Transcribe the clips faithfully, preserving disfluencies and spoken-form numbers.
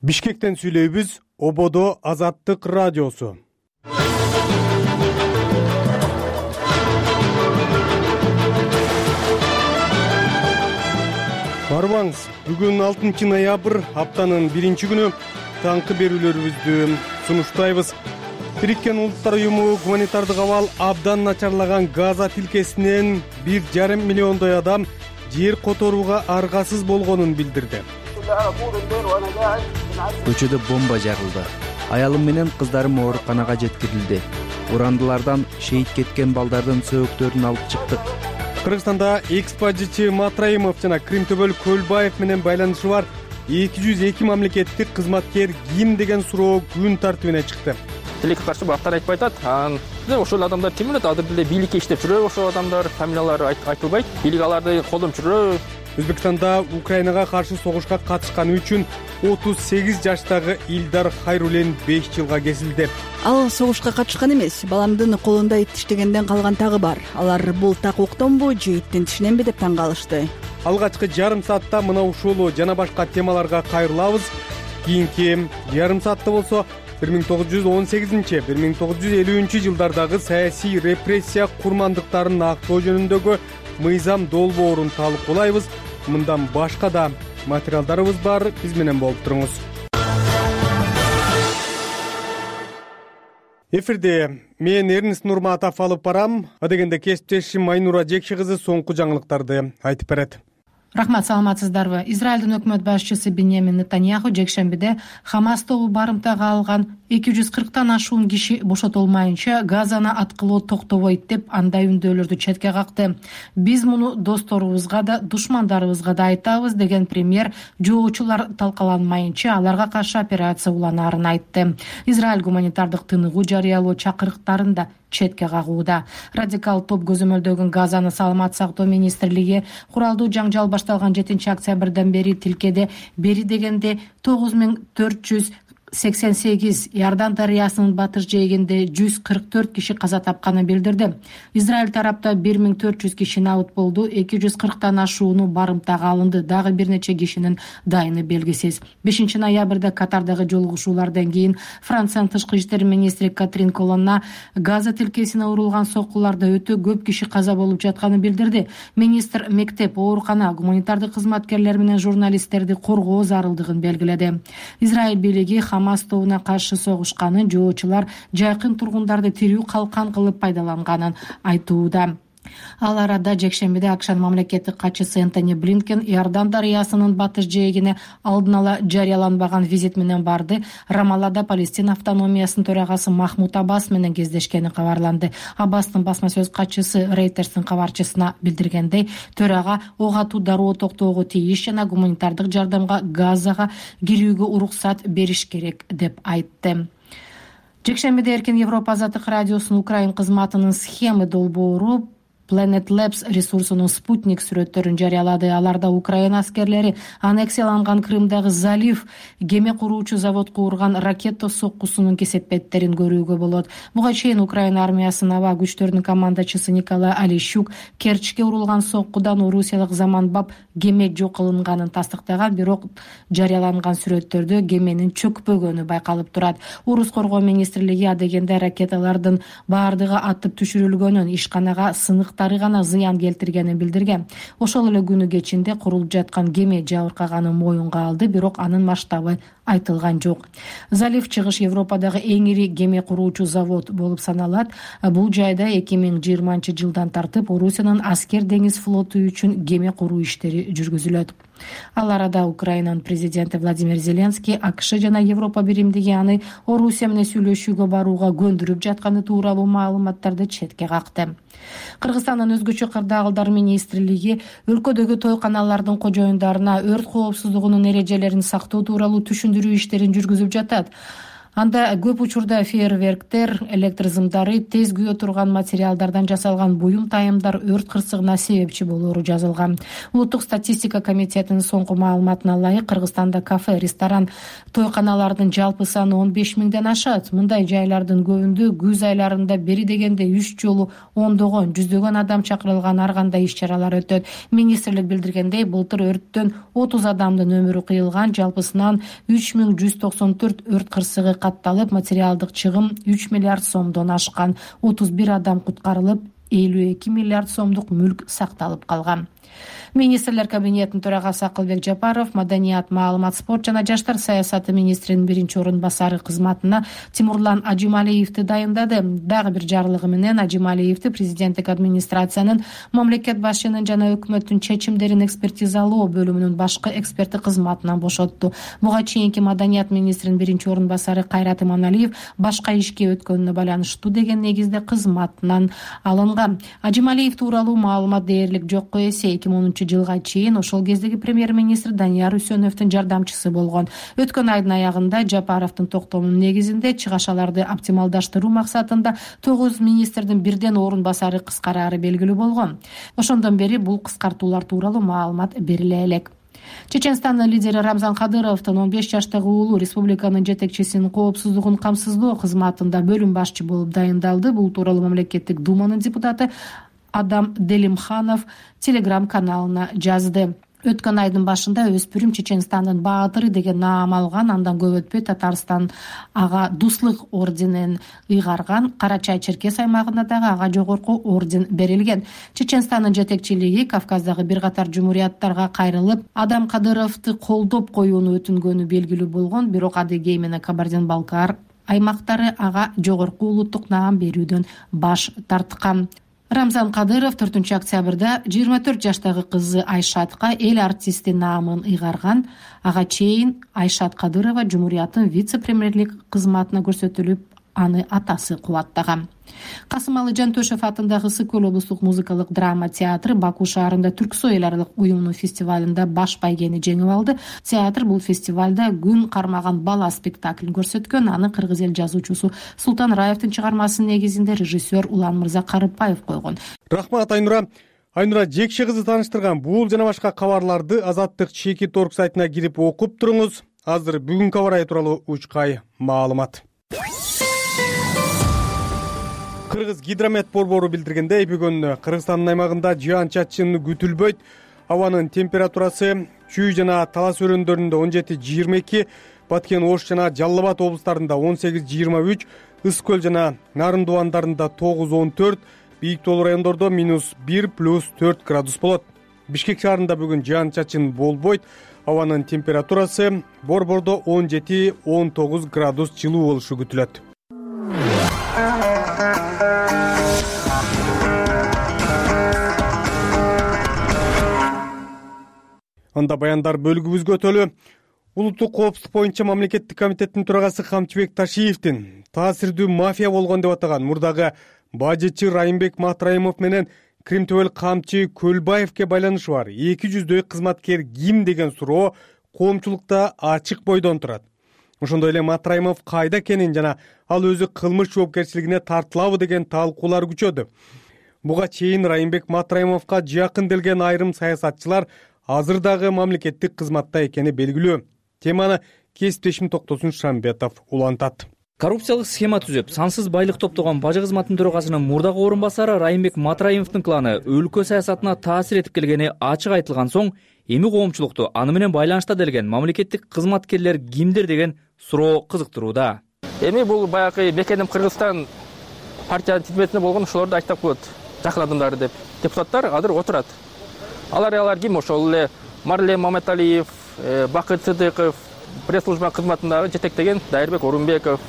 Бишкектен сүйлөйбүз. Ободо Азаттык радиосу. Барбаңыз, бүгүн алтынчы ноябрь, аптанын биринчи күнү. Таңкы берүүлөрүбүздү сунуштайбыз. Бириккен Улуттар уюму гуманитардык абал абдан начарлаган Газа тилкесинен бир жарым миллиондой адам жер которууга аргасыз болгонун билдирди. Көчөдө бомба жагылды. Аялым менен кыздарым ооруканага жеткирилди. Урандылардан шейит кеткен балдардын сөөктөрүн алып чыктык. Кыргызстанда экс-бажычы Матраимов жана Кримтөбөл Көлбаев менен байланышы бар эки жүз эки мамлекеттик кызматкер ким деген суроо күн тартибине чыкты. Тилекке каршы бактар айтпай атат. Анан ошол адамдар ким эле? Азыр деле бийликке иштеп жүрөбү ошол адамдар, фамилиялары айтылбайт. Бийлик аларды колдонуп жүрөбү. Өзбекстанда Украинага каршы согушка катышканы үчүн отуз сегиз жаштагы Илдар Хайрулен беш жылга кесилди. Ал согушка катышкан эмес, баламдын колунда ит тиштегенден калган тагы бар. Алар бул так октонбу же иттин тишиненби деп таң калышты. Алгачкы жарым саатта мына ушул жана башка темаларга кайрылабыз. Кийинки жарым саатта болсо бир миң тогуз жүз он сегизинчи бир миң тогуз жүз элүүнчү жылдардагы саясий репрессия курмандыктарын актоо жөнүндөгү мыйзам долбоорун талкуулайбыз. Мындан башка да материалдарыбыз бар. Биз менен болуп туруңуз. Эфирде мен Эрнест Нурматов алып барам. Адегенде кесиптешим Айнура Жекши кызы соңку жаңылыктарды айтып берет. Рахмат, саламатсыздарбы? Израилдин өкмөт башчысы Биньямин Нетаньяху жекшембиде Хамас тобу барымтага алган эки жүз кырктан ашуун киши бошотулмайынча Газаны аткылоо токтобойт деп андай үндөөлөрдү четке какты. Биз муну досторубузга да, душмандарыбызга да айтабыз деген премьер жоочулар талкаланмайынча аларга каршы операция уланаарын айтты. Израиль гуманитардык тыныгуу жарыялоо чакырыктарын да четке кагууда. Радикал топ көзөмөлдөгөн Газаны саламат сактоо министрлиги куралдуу жаңжал башталган жетинчи октябрдан бери тилкеде бери дегенде тогуз миң төрт жүз сексен сегиз, Иордан дарыясынын батыш жээгинде жүз кырк төрт киши каза тапканын билдирди. Израиль тарапта бир миң төрт жүз киши набыт болду, эки жүз кырктан ашууну барымтага алынды. Дагы бир нече кишинин дайыны белгисиз. бешинчи ноябрда Катардагы жолугушуулардан кийин Франциянын тышкы иштер министри Катрин Колонна Газа тилкесине урулган соккуларда өтө көп киши каза болуп жатканын билдирди. Министр мектеп, оорукана, гуманитардык кызматкерлер менен журналисттерди коргоо зарылдыгын белгиледи. Израиль бийлиги Хамас тобуна каршы согушканын, жоочулар жайкын тургундарды тирүү калкан кылып пайдаланганын айтууда. Ал арада жекшембиде АКШнын мамлекеттик катчысы Энтони Блинкен Иордан дарыясынын батыш жээгине алдын ала жарыяланбаган визит менен барды. Рамаллада Палестина автономиясынын төрагасы Махмуд Аббас менен кездешкени кабарланды. Аббастын басма сөз катчысы Рейтерстин кабарчысына билдиргендей, төрага ок атуу дароо токтоого тийиш жана гуманитардык жардамга Газага кирүүгө уруксат бериш керек деп айтты. Жекшембиде Эркин Европа Азаттык радиосунун Украин кызматынын схема долбоору Planet Labs ресурсунун спутник сүрөттөрүн жарыялады. Аларда Украина аскерлери аннексияланган Крымдагы залив кеме куруучу заводко урган ракета соккусунун кесепеттерин көрүүгө болот. Буга чейин Украина армиясынын аба күчтөрүнүн командачысы Николай Алищук Керчке урулган соккудан орусиялык заманбап кеме жок кылынганын тастыктаган, бирок жарыяланган сүрөттөрдө кеменин чөкпөгөнү байкалып турат. Орус коргоо министрлиги адегенде ракеталардын баардыгы атып түшүрүлгөнүн, ишканага сынык гана зыян келтиргенин билдирген. Ошол эле күнү кечинде курулуп жаткан кеме жабыркаганын моюнга алды, бирок анын масштабы айтылган жок. Залив чыгыш Европадагы эң ири кеме куруучу завод болуп саналат. Бул жайда эки миң жыйырманчы жылдан тартып Орусиянын аскер деңиз флоту үчүн кеме куруу иштери жүргүзүлөт. Ал арада Украинанын президенти Владимир Зеленский АКШ жана Европа биримдиги аны Орусия менен сүйлөшүүгө барууга көндүрүп жатканы тууралуу маалыматтарды четке какты. Кыргызстандын өзгөчө кырдаалдар министрлиги өлкөдөгү тойканалардын кожоюндарына өрт коопсуздугунун эрежелерин сактоо тууралуу түшүндүрүү иштерин жүргүзүп жатат. Анда көп учурда фейерверктер, электр зымдары, тез күйө турган материалдардан жасалган буюм тайымдар өрт кырсыгына себепчи болоору жазылган. Улуттук статистика комитетинин соңку маалыматына ылайык Кыргызстанда кафе, ресторан, тойканалардын жалпы саны он беш миңден ашат. Мындай жайлардын көбүндө күз айларында бери дегенде үч жолу ондогон, жүздөгөн адам чакырылган ар кандай иш-чаралар өтөт. Министрлик билдиргендей, былтыр өрттөн отуз адамдын өмүрү кыйылган, жалпысынан үч миң жүз токсон төрт өрт кырсыгы катталып, материалдык чыгым үч миллиард сомдон ашкан. отуз бир адам куткарылып, элүү эки миллиард сомдук мүлк сакталып калган. Министрлер кабинетинин төрагасы Акылбек Жапаров маданият, маалымат, спорт жана жаштар саясаты министринин биринчи орун басары кызматына Тимурлан Ажималиевди дайындады. Дагы бир жарлыгы менен Ажималиевди президенттик администрациянын, мамлекет башчынын жана өкмөттүн чечимдерин экспертизалоо бөлүмүнүн башкы эксперти кызматынан бошотту. Буга чейинки маданият министринин биринчи орун басары Кайрат Иманалиев башка ишке өткөнүнө байланыштуу деген негизде кызматынан алынган. Ажималиев тууралуу маалымат дээрлик жокко эсе эки миң онунчу жылга чейин ошол кездеги премьер-министр Данияр Үсөновдун жардамчысы болгон. Өткөн айдын аягында Жапаровдун токтомунун негизинде чыгашаларды оптималдаштыруу максатында тогуз министрдин бирден орун басары кыскараары белгилүү болгон. Ошондон бери бул кыскартуулар тууралуу маалымат бериле элек. Чеченстандын лидери Рамзан Кадыровдун он беш жаштагы уулу республиканын жетекчисинин коопсуздугун камсыздоо кызматында бөлүм башчы болуп дайындалды. Бул тууралуу мамлекеттик думанын депутаты Адам Делимханов телеграм-каналына жазды. Өткөн айдын башында өспүрүм Чеченстандын баатыры деген наам алган, андан көп өтпөй Татарстан ага дуслык орденин ыйгарган. Кара-Чай-Черкес аймагында дагы ага жогорку орден берилген. Чеченстандын жетекчилиги Кавказдагы бир катар жумурияттарга кайрылып, Адам Кадыровду колдоп коюуну өтүнгөнү белгилүү болгон, бирок Адыгей менен Кабардин-Балкар аймактары ага жогорку улуттук наам берүүдөн баш тарткан. Рамзан Кадыров төртүнчү октябрда жыйырма төрт жаштагы кызы Айшатка эл артисти наамын ыйгарган. Ага чейин Айшат Кадырова жумурияттын вице-премьерлик кызматына көрсөтүлүп, аны атасы кубаттаган. Касымалы Жантөшев атындагы Ысык Көл облустук музыкалык драма театры Баку шаарында Түрксой эл аралык уюмунун фестивалында баш байгени жеңип алды. Театр бул фестивалда Күн кармаган бала спектаклин көрсөткөн. Аны кыргыз эл жазуучусу Султан Раевдин чыгармасынын негизинде режиссер Улан Мырза Карыпбаев койгон. Рахмат Айнура. Айнура Жекше кызы тааныштырган бул жана башка кабарларды Азаттык чекит орг сайтына кирип окуп туруңуз. Азыр бүгүнкү аба ырайы тууралуу учкай маалымат. Кыргыз гидромет борбору билдиргендей, бүгүн Кыргызстандын аймагында жаан-чачын күтүлбөйт. Абанын температурасы Чүй жана Талас өрөөндөрүндө он жети жыйырма эки, Баткен, Ош жана Жалал Абад облустарында он сегиз жыйырма үч, Ысык Көл жана Нарын Дубандарында тогуз он төрт, бийик тоолуу райондордо минус бир плюс төрт градус болот. Бишкек шаарында бүгүн жаан-чачын болбойт. Абанын температурасы борбордо он жети он тогуз градус жылуу болушу күтүлөт. Анда баяндар бөлүгүбүзгө өтөлү. Улуттук коопсуздук боюнча мамлекеттик комитеттин төрагасы Камчыбек Ташиевдин таасирдүү мафия болгон деп атаган мурдагы бажычы Райымбек Матраимов менен Кримтөбөл камчы Көлбаевке байланышы бар эки жүздөй кызматкер ким деген суроо коомчулукта ачык бойдон турат. Ошондой эле Матраимов кайда экенин жана ал өзү кылмыш жоопкерчилигине тартылабы деген талкуулар күчөдү. Буга чейин Райымбек Матраимовго жакын келген айрым саясатчылар азыр дагы мамлекеттик кызматта экени белгилүү. Теманы кесиптешим Токтосун Шамбетов улантат. Коррупциялык схема түзүп, сансыз байлык топтогон бажы кызматынын төрагасынын мурдагы орун басары Райымбек Матраимовдун кланы өлкө саясатына таасир этип келгени ачык айтылган соң, эми коомчулукту аны менен байланышта делген мамлекеттик кызматкерлер кимдир деген суроо кызыктырууда. Эми бул баягы Мекеним Кыргызстан партиянын тизметинде болгон ошолорду айтып коет, жакын адамдары деп. Депутаттар азыр отурат. Алар алар ким? Ошол эле Марлен Маматалиев, Бакыт Сыдыков, пресс-служба кызматындагы жетектеген Дайырбек Орунбеков,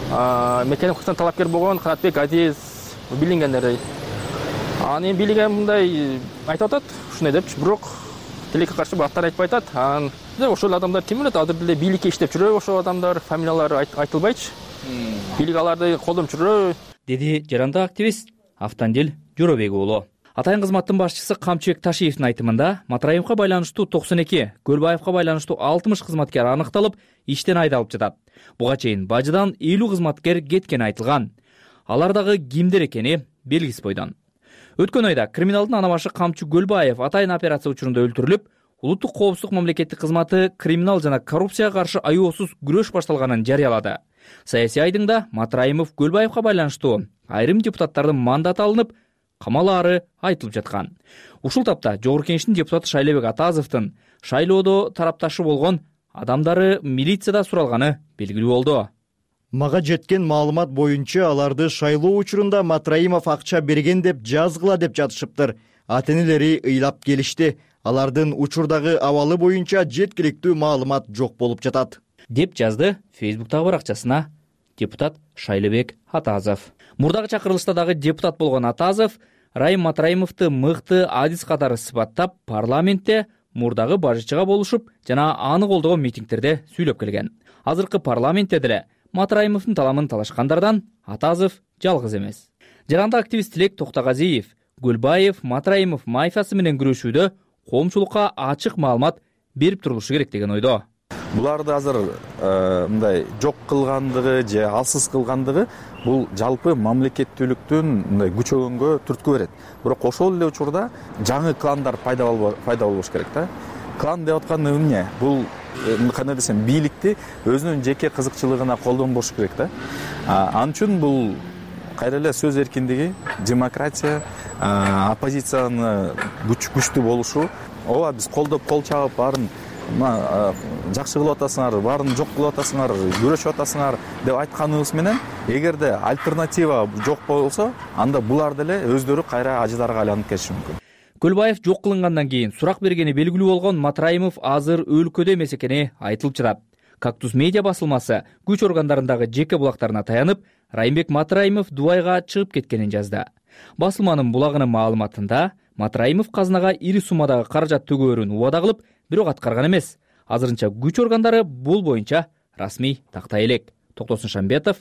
Мекеним Кыргызстан талапкер болгон Канатбек Азиз билингендер. Аны билген мындай айтып атат, ушундай деп, бирок тилекке каршы баттар айтпай атат. Анан ошол адамдар ким билет, азыр деле бийликке иштеп жүрөбү ошол адамдар, фамилиялары айтылбайчы. Бийлик аларды колдонуп жүрөбү, деди жарандык активист Автандил Жоробек уулу. Атайын кызматтын башчысы Камчыбек Ташиевдин айтымында Матраимовго байланыштуу токсон эки, Көлбаевга байланыштуу алтымыш кызматкер аныкталып, иштен айдалып жатат. Буга чейин бажыдан элүү кызматкер кеткени айтылган. Алар дагы кимдер экени белгисиз бойдон. Өткөн айда криминалдын ана башы Камчы Көлбаев атайын операция учурунда өлтүрүлүп, улуттук коопсуздук мамлекеттик кызматы криминал жана коррупцияга каршы аеосуз күрөш башталганын жарыялады. Саясий айдыңда Матраимов Көлбаевга байланыштуу айрым депутаттардын мандаты алынып, камалаары айтылып жаткан. Ушул тапта Жогорку Кеңештин депутаты Шайлебек Атазовдун шайлоодо тарапташы болгон адамдары милицияда суралганы белгилүү болду. Мага жеткен маалымат боюнча аларды шайлоо учурунда Матраимов акча берген деп жазгыла деп жатышыптыр. Ата-энелери ыйлап келишти. Алардын учурдагы абалы боюнча жеткиликтүү маалымат жок болуп жатат, деп жазды Фейсбуктагы баракчасына депутат Шайлебек Атазов. Мурдагы чакырылышта дагы депутат болгон Атазов Райым Матраимовду мыкты адис катары сыпаттап, парламентте мурдагы бажычыга болушуп жана аны колдогон митингтерде сүйлөп келген. Азыркы парламентте деле Матраимовдун таламын талашкандардан Атазов жалгыз эмес. Жаранда активист Тилек Токтогазиев Көлбаев Матраимов мафиясы менен күрөшүүдө коомчулукка ачык маалымат берип турулушу керек деген ойдо. Буларды азыр мындай жок кылгандыгы же алсыз кылгандыгы бул жалпы мамлекеттүүлүктүн мындай күчөгөнгө түрткү берет. Бирок ошол эле учурда жаңы кландар пайда болбош керек да. Клан деп аткан эмне? Бул кандай десем, бийликти өзүнүн жеке кызыкчылыгына колдонбош керек да. Ал үчүн бул кайра эле сөз эркиндиги, демократия, оппозицияны күчтүү болушу, ооба биз колдоп кол чабып баарын жакшы кылып атасыңар, баарын жок кылып атасыңар, күрөшүп атасыңар деп айтканыбыз менен, эгерде альтернатива жок болсо, анда булар деле өздөрү кайра ажыларга айланып кетиши мүмкүн. Көлбаев жок кылынгандан кийин сурак бергени белгилүү болгон Матраимов азыр өлкөдө эмес экени айтылып жатат. Кактус медиа басылмасы күч органдарындагы жеке булактарына таянып, Райымбек Матраимов Дубайга чыгып кеткенин жазды. Басылманын булагынын маалыматында Матраимов казынага ири суммадагы каражат төгөөрүн убада кылып, бирок аткарган эмес. Азырынча күч органдары бул боюнча расмий тактай элек. Токтосун Шамбетов,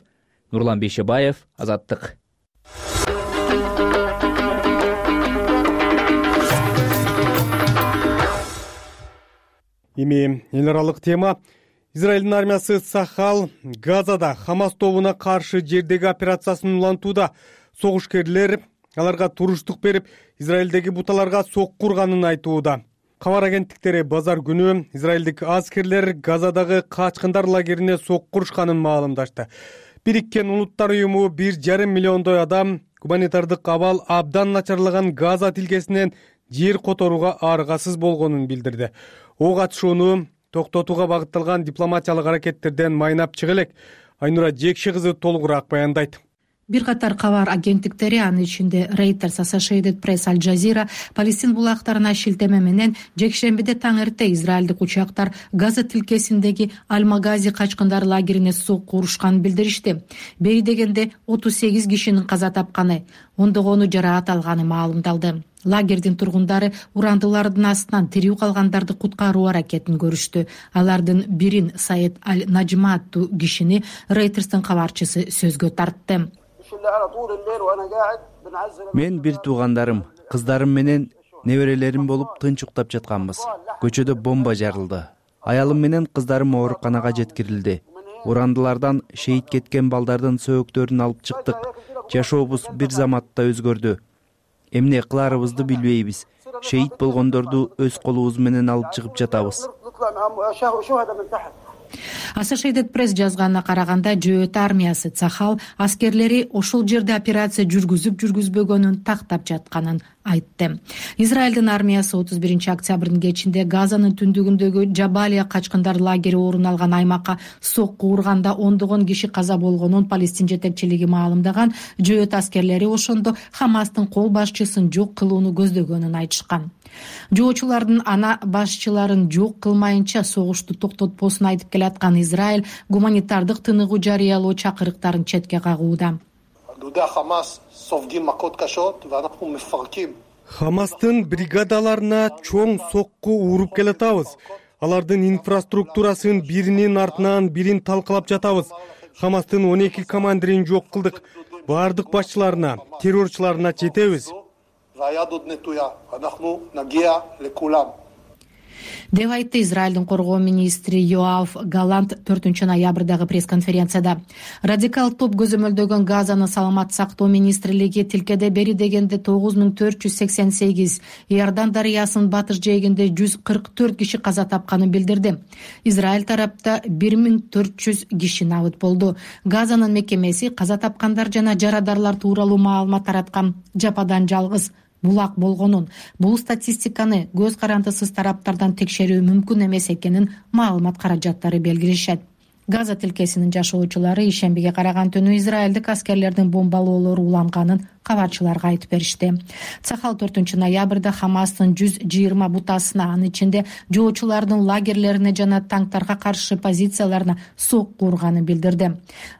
Нурлан Бейшебаев, Азаттык. Эми эл аралык тема. Израилдин армиясы Сахал Газада Хамас тобуна каршы жердеги операциясын улантууда. Согушкерлер аларга туруштук берип, Израилдеги буталарга сокку урганын айтууда. Кабар агенттиктери базар күнү израилдик аскерлер Газадагы качкындар лагерине сокку урушканын маалымдашты. Бириккен Улуттар уюму бир жарым миллиондой адам гуманитардык абал абдан начарлаган Газа тилкесинен жер которууга аргасыз болгонун билдирди. Ок атышууну токтотууга багытталган дипломатиялык аракеттерден майнап чыга элек. Айнура Жекши кызы толугураак баяндайт. Бир катар кабар агенттиктери, анын ичинде Reuters, Associated Press, Al Jazeera Палестин булактарына шилтеме менен жекшембиде таң эрте израилдик учактар Газа тилкесиндеги Аль-Магази качкындар лагерине сокку урушканын билдиришти. Бери дегенде отуз сегиз кишинин каза тапканы, ондогону жараат алганы маалымдалды. Лагердин тургундары урандылардын астынан тирүү калгандарды куткаруу аракетин көрүштү. Алардын бирин Саид Аль-Наджма аттуу кишини Reuters'тын кабарчысы сөзгө тартты. Мен бир туугандарым, кыздарым менен неберелерим болуп тынч уктап жатканбыз. Көчөдө бомба жарылды. Аялым менен кыздарым ооруканага жеткирилди. Урандылардан шейит кеткен балдардын сөөктөрүн алып чыктык. Жашообуз бир заматта өзгөрдү. Эмне кыларыбызды билбейбиз. Шейит болгондорду өз колубуз менен алып чыгып жатабыз. Associated Press жазганына караганда, Жөөт армиясы Цахал аскерлери ошол жерде операция жүргүзүп жүргүзбөгөнүн тактап жатканын айтты. Израилдин армиясы отуз биринчи октябрдын кечинде Газанын түндүгүндөгү Жабалия качкындар лагери орун алган аймакка сокку урганда ондогон киши каза болгонун Палестин жетекчилиги маалымдаган. Жөөт аскерлери ошондо Хамастын кол башчысын жок кылууну көздөгөнүн айтышкан. Жоочулардын ана башчыларын жок кылмайынча согушту токтотпосун айтып келаткан Израиль гуманитардык тыныгуу жарыялоо чакырыктарын четке кагууда. Хамастын бригадаларына чоң сокку уруп келатабыз. Алардын инфраструктурасын биринин артынан бирин талкалап жатабыз. Хамастын он эки командирин жок кылдык. Бардык башчыларына, террорчуларына жетебиз. деп айтты Израилдин коргоо министри Йоав Галант төртүнчү ноябрдагы пресс-конференцияда. Радикал топ көзөмөлдөгөн Газаны саламат сактоо министрлиги тилкеде бери дегенде тогуз миң төрт жүз сексен сегиз, Иордан дарыясынын батыш жээгинде жүз кырк төрт киши каза тапканын билдирди. Израиль тарапта бир миң төрт жүз киши набыт болду. Газанын мекемеси каза тапкандар жана жарадарлар тууралуу маалымат тараткан жападан жалгыз булак болгонун, бул статистиканы көз карандысыз тараптардан текшерүү мүмкүн эмес экенин маалымат каражаттары белгилешет. Газа тилкесинин жашоочулары ишембиге караган түнү израилдик аскерлердин бомбалоолору уланганын кабарчыларга айтып беришти. Цахал төртүнчү ноябрда Хамастын жүз жыйырма бутасына, анын ичинде жоочулардын лагерлерине жана танктарга каршы позицияларына сокку урганын билдирди.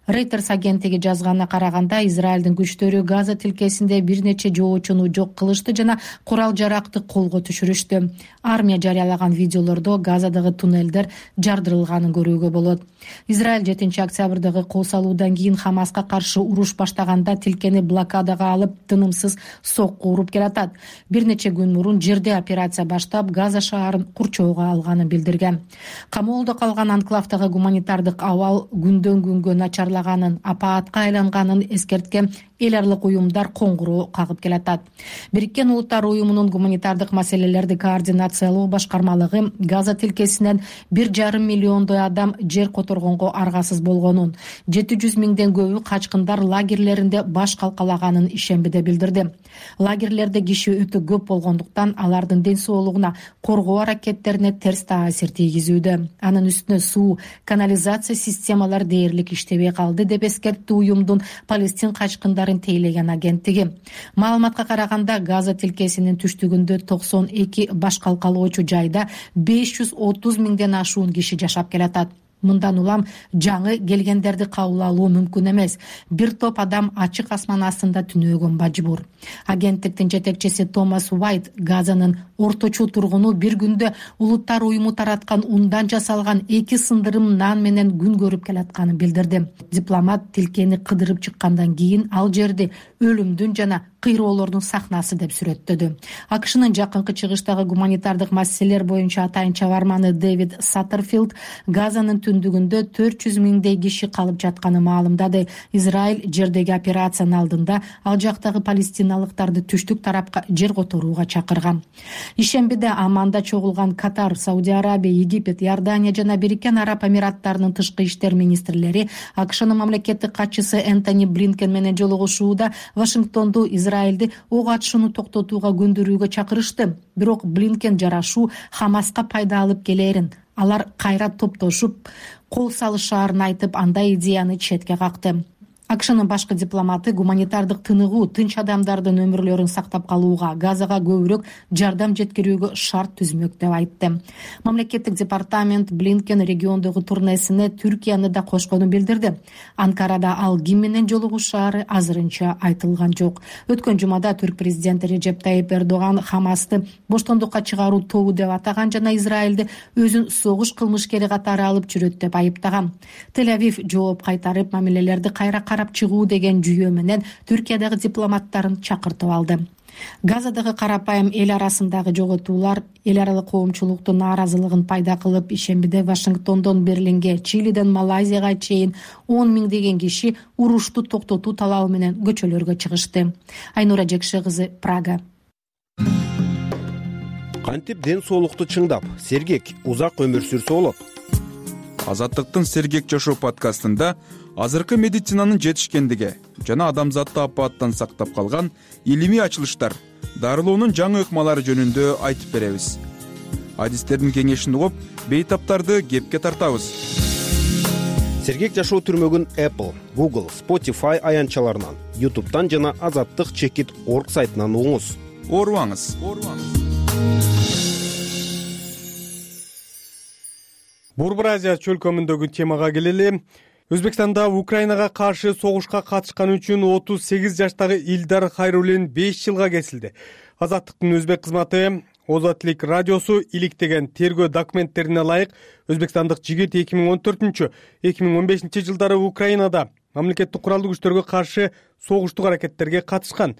Reuters агенттиги жазганына караганда, Израилдин күчтөрү Газа тилкесинде бир нече жоочуну жок кылышты жана курал жаракты колго түшүрүштү. Армия жарыялаган видеолордо Газадагы туннелдер жардырылганын көрүүгө болот. Израиль жетинчи октябрдагы кол салуудан кийин Хамаска каршы уруш баштаганда тилкени блокадага алып тынымсыз сокку уруп келатат. Бир нече күн мурун жерде операция баштап Газа шаарын курчоого алганын билдирген. Камоолдо калган анклавдагы гуманитардык абал күндөн күнгө начарлаганын, апаатка айланганын эскерткен эл аралык уюмдар коңгуроо кагып келатат. Бириккен Улуттар уюмунун гуманитардык маселелерди координациялоо башкармалыгы Газа тилкесинен бир жарым миллиондой адам жер которгонго аргасыз болгонун, жети жүз миңден көбү качкындар лагерлеринде баш калкалаганын ишембиде билдирди. Лагерлерде киши өтө көп болгондуктан алардын ден соолугуна, коргоо аракеттерине терс таасир тийгизүүдө. Анын үстүнө суу, канализация системалары дээрлик иштебей калды деп эскертти уюмдун Палестин качкындарын тейлеген агенттиги. Маалыматка караганда, Газа тилкесинин түштүгүндө токсон эки баш калкалоочу жайда беш жүз отуз миңден ашуун киши жашап келатат. Мындан улам жаңы келгендерди кабыл алуу мүмкүн эмес. Бир топ адам ачык асман астында түнөөгө мажбур. Агенттиктин жетекчиси Томас Уайт Газанын орточо тургуну бир күндө Улуттар уюму тараткан ундан жасалган эки сындырым нан менен күн көрүп келатканын билдирди. Дипломат тилкени кыдырып чыккандан кийин ал жерди өлүмдүн жана кыйроолордун сахнасы деп сүрөттөдү. АКШнын жакынкы чыгыштагы гуманитардык маселелер боюнча атайын чабарманы Дэвид Саттерфилд Газанын түндүгүндө төрт жүз миңдей киши калып жатканын маалымдады. Израиль жердеги операциянын алдында ал жактагы палестиналыктарды түштүк тарапка жер которууга чакырган. Ишембиде Амманда чогулган Катар, Сауди Арабия, Египет, Иордания жана Бириккен Араб Амираттарынын тышкы иштер министрлери АКШнын мамлекеттик катчысы Энтони Блинкен менен жолугушууда Вашингтонду Израилди ок атышууну токтотууга көндүрүүгө чакырышты. Бирок Блинкен жарашуу Хамаска пайда алып келерин, алар кайра топтошуп кол салышаарын айтып, андай идеяны четке какты. АКШнын башкы дипломаты гуманитардык тыныгуу, тынч адамдардын өмүрлөрүн сактап калууга, Газага көбүрөөк жардам жеткирүүгө шарт түзмөк деп айтты. Мамлекеттик департамент Блинкен региондогу турнесине Түркияны да кошконун билдирди. Анкарада ал ким менен жолугушаары азырынча айтылган жок. Өткөн жумада түрк президенти Режеп Тайип Эрдоган Хамасты боштондукка чыгаруу тобу деп атаган жана Израилди өзүн согуш кылмышкери катары алып жүрөт деп айыптаган. Тель-Авив жооп кайтарып, мамилелерди кайра карап чыгуу деген жүйө менен Түркиядагы дипломаттарын чакыртып алды. Газадагы карапайым эл арасындагы жоготуулар эл аралык коомчулуктун нааразылыгын пайда кылып, ишембиде Вашингтондон Берлинге, Чилиден Малайзияга чейин он миңдеген киши урушту токтотуу талабы менен көчөлөргө чыгышты. Айнура Жекше кызы, Прага. Кантип ден соолукту чыңдап, сергек, узак өмүр сүрсө болот? Азаттыктын Сергек жашоо подкастында азыркы медицинанын жетишкендиги жана адамзатты апааттан сактап калган илимий ачылыштар, дарылоонун жаңы ыкмалары жөнүндө айтып беребиз. Адистердин кеңешин угуп, бейтаптарды кепке тартабыз. Сергек жашоо түрмөгүн Apple, Google, Spotify аянтчаларынан, YouTube'дан жана азаттык чекит точка орг сайтынан угуңуз. Оорубаңыз. Борбор Азия чөлкөмүндөгү темага келели. Өзбекстанда Украинага каршы согушка катышкан үчүн отуз сегиз жаштагы Илдар Хайруллин беш жылга кесилди. Азаттыктын өзбек кызматы Озатлик радиосу иликтеген тергөө документтерине ылайык өзбекстандык жигит эки миң он төртүнчү — эки миң он бешинчи жылдары Украинада мамлекеттик куралдуу күчтөргө каршы согуштук аракеттерге катышкан.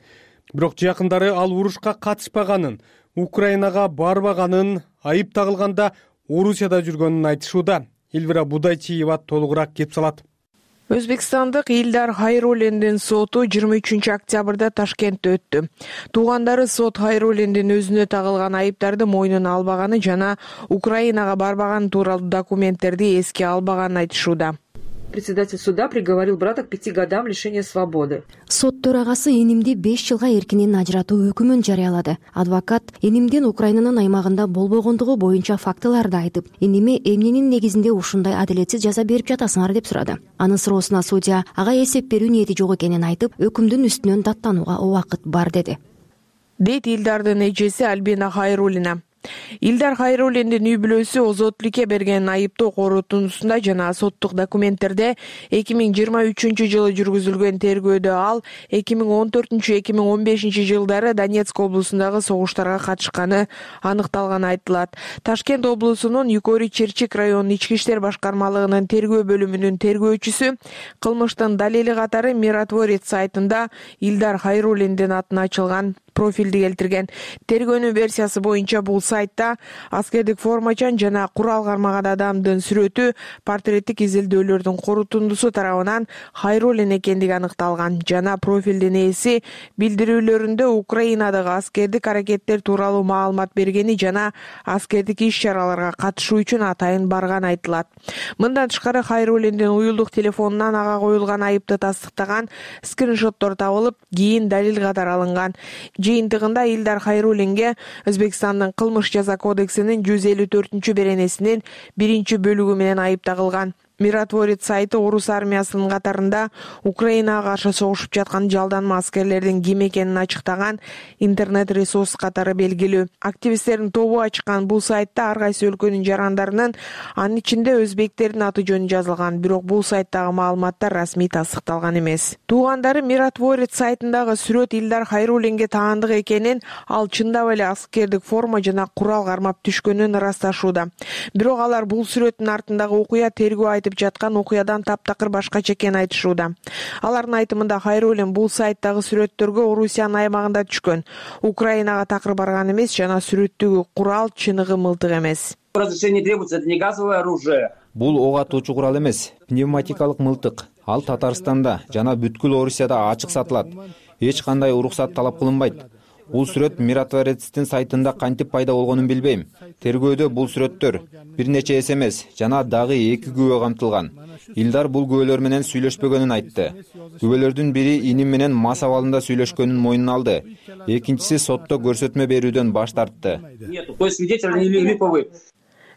бирок жакындары ал урушка катышпаганын, Украинага барбаганын, айып тагылганда Орусияда жүргөнүн айтышууда. Элвира Будайчиева толугураак кеп салат. Өзбекстандык Илдар Хайруллиндин соту жыйырма үчүнчү октябрда Ташкентте өттү. Туугандары сот Хайруллиндин өзүнө тагылган айыптарды мойнуна албаганы жана Украинага барбаганы тууралуу документтерди эске албаганын айтышууда. Председатель суда приговорил брата к пяти годам лишения свободы. Сот төрагасы энимди беш жылга эркинен ажыратуу өкүмүн жарыялады. Адвокат энимдин Украинанын аймагында болбогондугу боюнча фактыларды айтып, эниме эмненин негизинде ушундай адилетсиз жаза берип жатасыңар деп сурады. Анын суроосуна судья ага эсеп берүү ниети жок экенин айтып, өкүмдүн үстүнөн даттанууга убакыт бар деди. Дейт Илдардын эжеси Альбина Хайруллина. Илдар Хайруллиндин үй бүлөсү озотлукке берген айыптоо корутундусунда жана соттук документтерде эки миң жыйырма үчүнчү жылы жүргүзүлгөн тергөөдө ал эки миң он төртүнчү эки миң он бешинчи жылдары Донецк облусундагы согуштарга катышканы аныкталганы айтылат. Ташкент облусунун Юкори Черчик районунун ички иштер башкармалыгынын тергөө бөлүмүнүн тергөөчүсү кылмыштын далили катары Миротворец сайтында Илдар Хайруллиндин атына ачылган профилди келтирген. Тергөөнүн версиясы боюнча бул сайтта аскердик формачан жана курал кармаган адамдын сүрөтү портреттик изилдөөлөрдүн корутундусу тарабынан Хайруллин экендиги аныкталган жана профилдин ээси билдирүүлөрүндө Украинадагы аскердик аракеттер тууралуу маалымат бергени жана аскердик иш-чараларга катышуу үчүн атайын барганы айтылат. Мындан тышкары Хайруллиндин уюлдук телефонунан ага коюлган айыпты тастыктаган скриншоттор табылып, кийин далил катары алынган. Жыйынтыгында Илдар Хайруллинге Өзбекстандын кылмыш жаза кодексинин жүз элүү төртүнчү беренесинин биринчи бөлүгү менен айып тагылган. Миротворец сайты орус армиясынын катарында Украинага каршы согушуп жаткан жалданма аскерлердин ким экенин ачыктаган интернет-ресурс катары белгилүү. Активисттердин тобу ачкан бул сайтта ар кайсы өлкөнүн жарандарынын, анын ичинде өзбектердин аты жөнү жазылган, бирок бул сайттагы маалыматтар расмий тастыкталган эмес. Туугандары Миротворец сайтындагы сүрөт Илдар Хайруллинге таандык экенин, ал чындап эле аскердик форма жана курал кармап түшкөнүн ырасташууда. Бирок алар бул сүрөттүн артындагы окуя тергөө айтып жаткан окуядан таптакыр башкача экенин айтышууда. Алардын айтымында Хайруллин бул сайттагы сүрөттөргө Орусиянын аймагында түшкөн, Украинага такыр барган эмес жана сүрөттөгү курал чыныгы мылтык эмес. Разрешение требуется, это не газовое оружие. Бул ок атуучу курал эмес, пневматикалык мылтык. Ал Татарстанда жана бүткүл Орусияда ачык сатылат. Эч кандай уруксат талап кылынбайт. Бул сүрөт Миротворецтин сайтында кантип пайда болгонун билбейм. Тергөөдө бул сүрөттөр бир нече эс эмес жана дагы эки күбө камтылган. Илдар бул күбөлөр менен сүйлөшпөгөнүн айтты. Күбөлөрдүн бири иним менен мас абалында сүйлөшкөнүн мойнуна алды. Экинчиси сотто көрсөтмө берүүдөн баш тартты.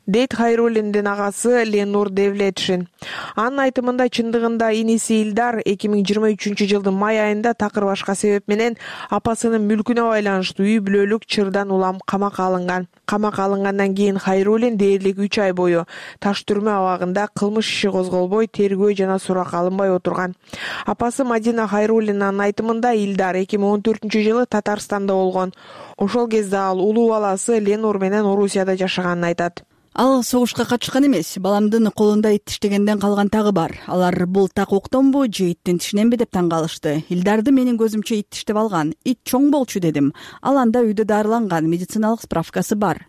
Дейт Хайруллиндин агасы Ленур Девлетшин. Анын айтымында чындыгында иниси Илдар эки миң жыйырма үчүнчү жылдын май айында такыр башка себеп менен апасынын мүлкүнө байланыштуу үй бүлөлүк чырдан улам камакка алынган. Камакка алынгандан кийин Хайруллин дээрлик үч ай бою таш түрмө абагында кылмыш иши козголбой, тергөө жана сурак алынбай отурган. Апасы Мадина Хайруллинанын айтымында Илдар эки миң он төртүнчү жылы Татарстанда болгон. Ошол кезде ал улуу баласы Ленур менен Орусияда жашаганын айтат. Ал согушка катышкан эмес, баламдын колунда ит тиштегенден калган тагы бар. Алар бул так октонбу же иттин тишиненби деп таң калышты. Илдарды менин көзүмчө ит тиштеп алган. Ит чоң болчу дедим. Ал анда үйдө дарыланган, медициналык справкасы бар.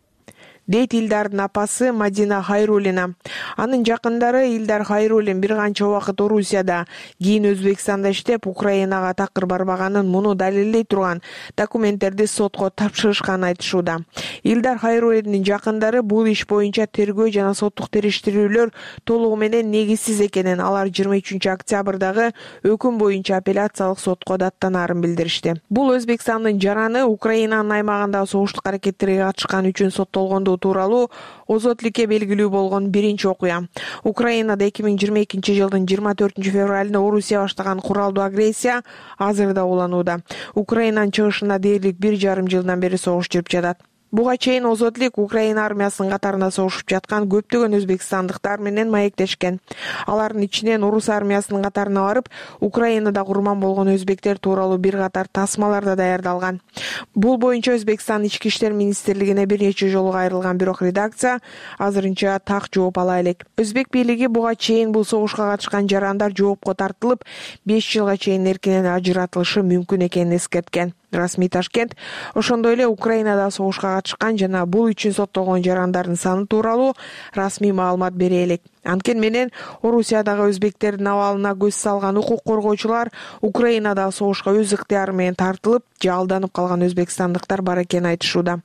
Дейт Илдардын апасы Мадина Хайруллина. Анын жакындары Илдар Хайруллин бир канча убакыт Орусияда, кийин Өзбекстанда иштеп, Украинага такыр барбаганын муну далилдей турган документтерди сотко тапшырышканын айтышууда. Илдар Хайруллиндин жакындары бул иш боюнча тергөө жана соттук териштирүүлөр толугу менен негизсиз экенин, алар жыйырма үчүнчү октябрдагы өкүм боюнча апелляциялык сотко даттанаарын билдиришти. Бул Өзбекстандын жараны Украинанын аймагында согуштук аракеттерге катышкан үчүн соттолгондугу тууралуу озотлукке белгилүү болгон биринчи окуя. Украинада эки миң жыйырма экинчи жылдын жыйырма төртүнчү февралында Орусия баштаган куралдуу агрессия азырда уланууда. Украинанын чыгышында дээрлик бир жарым жылдан бери согуш жүрүп жатат. Буга чейин озотлук Украина армиясынын катарында согушуп жаткан көптөгөн өзбекстандыктар менен маектешкен. Алардын ичинен орус армиясынын катарына барып, Украинада курман болгон өзбектер тууралуу бир катар тасмалар да даярдалган. Бул боюнча Өзбекстан ички иштер министрлигине бир нече жолу кайрылган, бирок редакция азырынча так жооп ала элек. Өзбек бийлиги буга чейин бул согушка катышкан жарандар жоопко тартылып, беш жылга чейин эркинен ажыратылышы мүмкүн экенин эскерткен. Расмий Ташкент ошондой эле Украинада согушка катышкан жана бул үчүн соттолгон жарандардын саны тууралуу расмий маалымат бере элек. Анткени менен Орусиядагы өзбектердин абалына көз салган укук коргоочулар Украинада согушка өз ыктыяры менен тартылып же алданып калган өзбекстандыктар бар экенин айтышууда.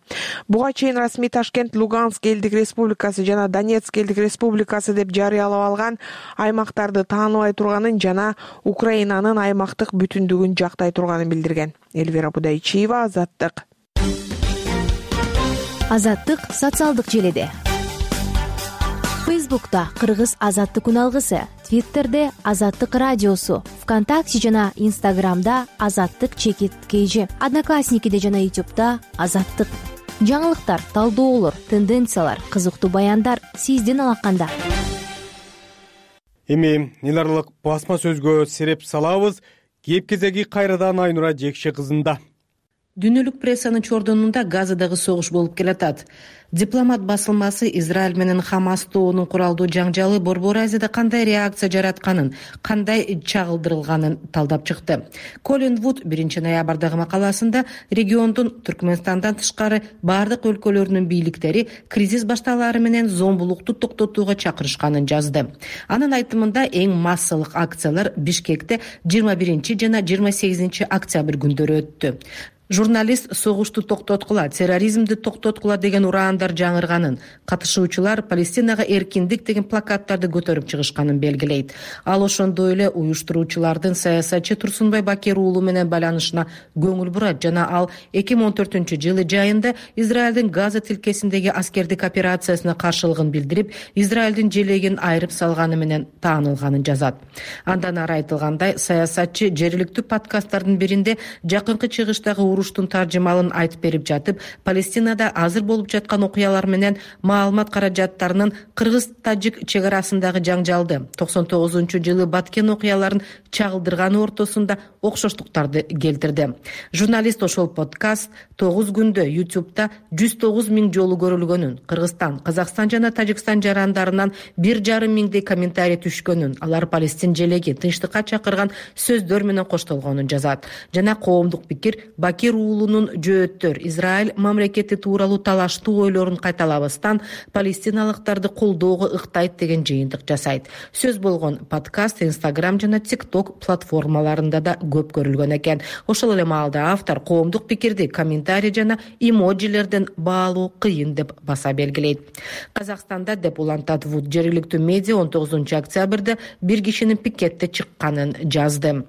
Буга чейин Расмий Ташкент Луганск элдик республикасы жана Донецк элдик республикасы деп жарыялап алган аймактарды тааныбай турганын жана Украинанын аймактык бүтүндүгүн жактай турганын билдирген. Эльвира Будайчиева, Азаттык. Азаттык социалдык желеде. Фейсбукта Кыргыз Азаттык үналгысы, Твиттерде Азаттык радиосу, ВКонтакте жана Инстаграмда Азаттык чекит кейжи, Одноклассникиде жана Ютубта Азаттык. Жаңылыктар, талдоолор, тенденциялар, кызыктуу баяндар сиздин алаканда. Эми неларлык басма сөзгө сереп салабыз. Кеп кезеги кайрадан Айнура Жекше кызында. Дүйнөлүк прессанын чордонунда Газадагы согуш болуп келатат. Дипломат басылмасы Израиль менен Хамас тобунун куралдуу жаңжалы Борбор Азияда кандай реакция жаратканын, кандай чагылдырылганын талдап чыкты. Колин Вуд биринчи ноябрдагы макаласында региондун Түркмөнстандан тышкары бардык өлкөлөрүнүн бийликтери кризис башталары менен зомбулукту токтотууга чакырышканын жазды. Анын айтымында эң массалык акциялар Бишкекте жыйырма биринчи жана жыйырма сегизинчи октябрь күндөрү өттү. Журналист согушту токтоткула, терроризмди токтоткула деген ураандар жаңырганын, катышуучулар Палестинага эркиндик деген плакаттарды көтөрүп чыгышканын белгилейт. Ал ошондой эле уюштуруучулардын саясатчы Турсунбай Бакир уулу менен байланышына көңүл бурат жана ал эки миң он төртүнчү жылы жайында Израилдин Газа тилкесиндеги аскердик операциясына каршылыгын билдирип, Израилдин желегин айрып салганы менен таанылганын жазат. Андан ары айтылгандай, саясатчы жергиликтүү подкасттардын биринде жакынкы чыгыштагы уруштун таржымалын айтып берип жатып, Палестинада азыр болуп жаткан окуялар менен маалымат каражаттарынын кыргыз-тажик чек арасындагы жаңжалды токсон тогузунчу жылы баткен окуяларын чагылдырганы ортосунда окшоштуктарды келтирди. Журналист ошол подкаст тогуз күндө Ютубта жүз тогуз миң жолу көрүлгөнүн, Кыргызстан, Казакстан жана Тажикстан жарандарынан бир жарым миңдей комментарий түшкөнүн, алар Палестин желеги тынчтыкка чакырган сөздөр менен коштолгонун жазат. Жана коомдук пикир Бакир уулунун жөөттөр Израиль мамлекети тууралуу талаштуу ойлорун кайталабастан палестиналыктарды колдоого ыктайт деген жыйынтык жасайт. Сөз болгон подкаст Инстаграм жана ТикТок платформаларында да көп көрүлгөн экен. Ошол эле маалда автор коомдук пикирди комментарий жана эмоджилерден баалуу кыйын деп баса белгилейт. Казакстанда деп улантат Вуд, жергиликтүү медиа он тогузунчу октябрда бир кишинин пикетте чыкканын жазды.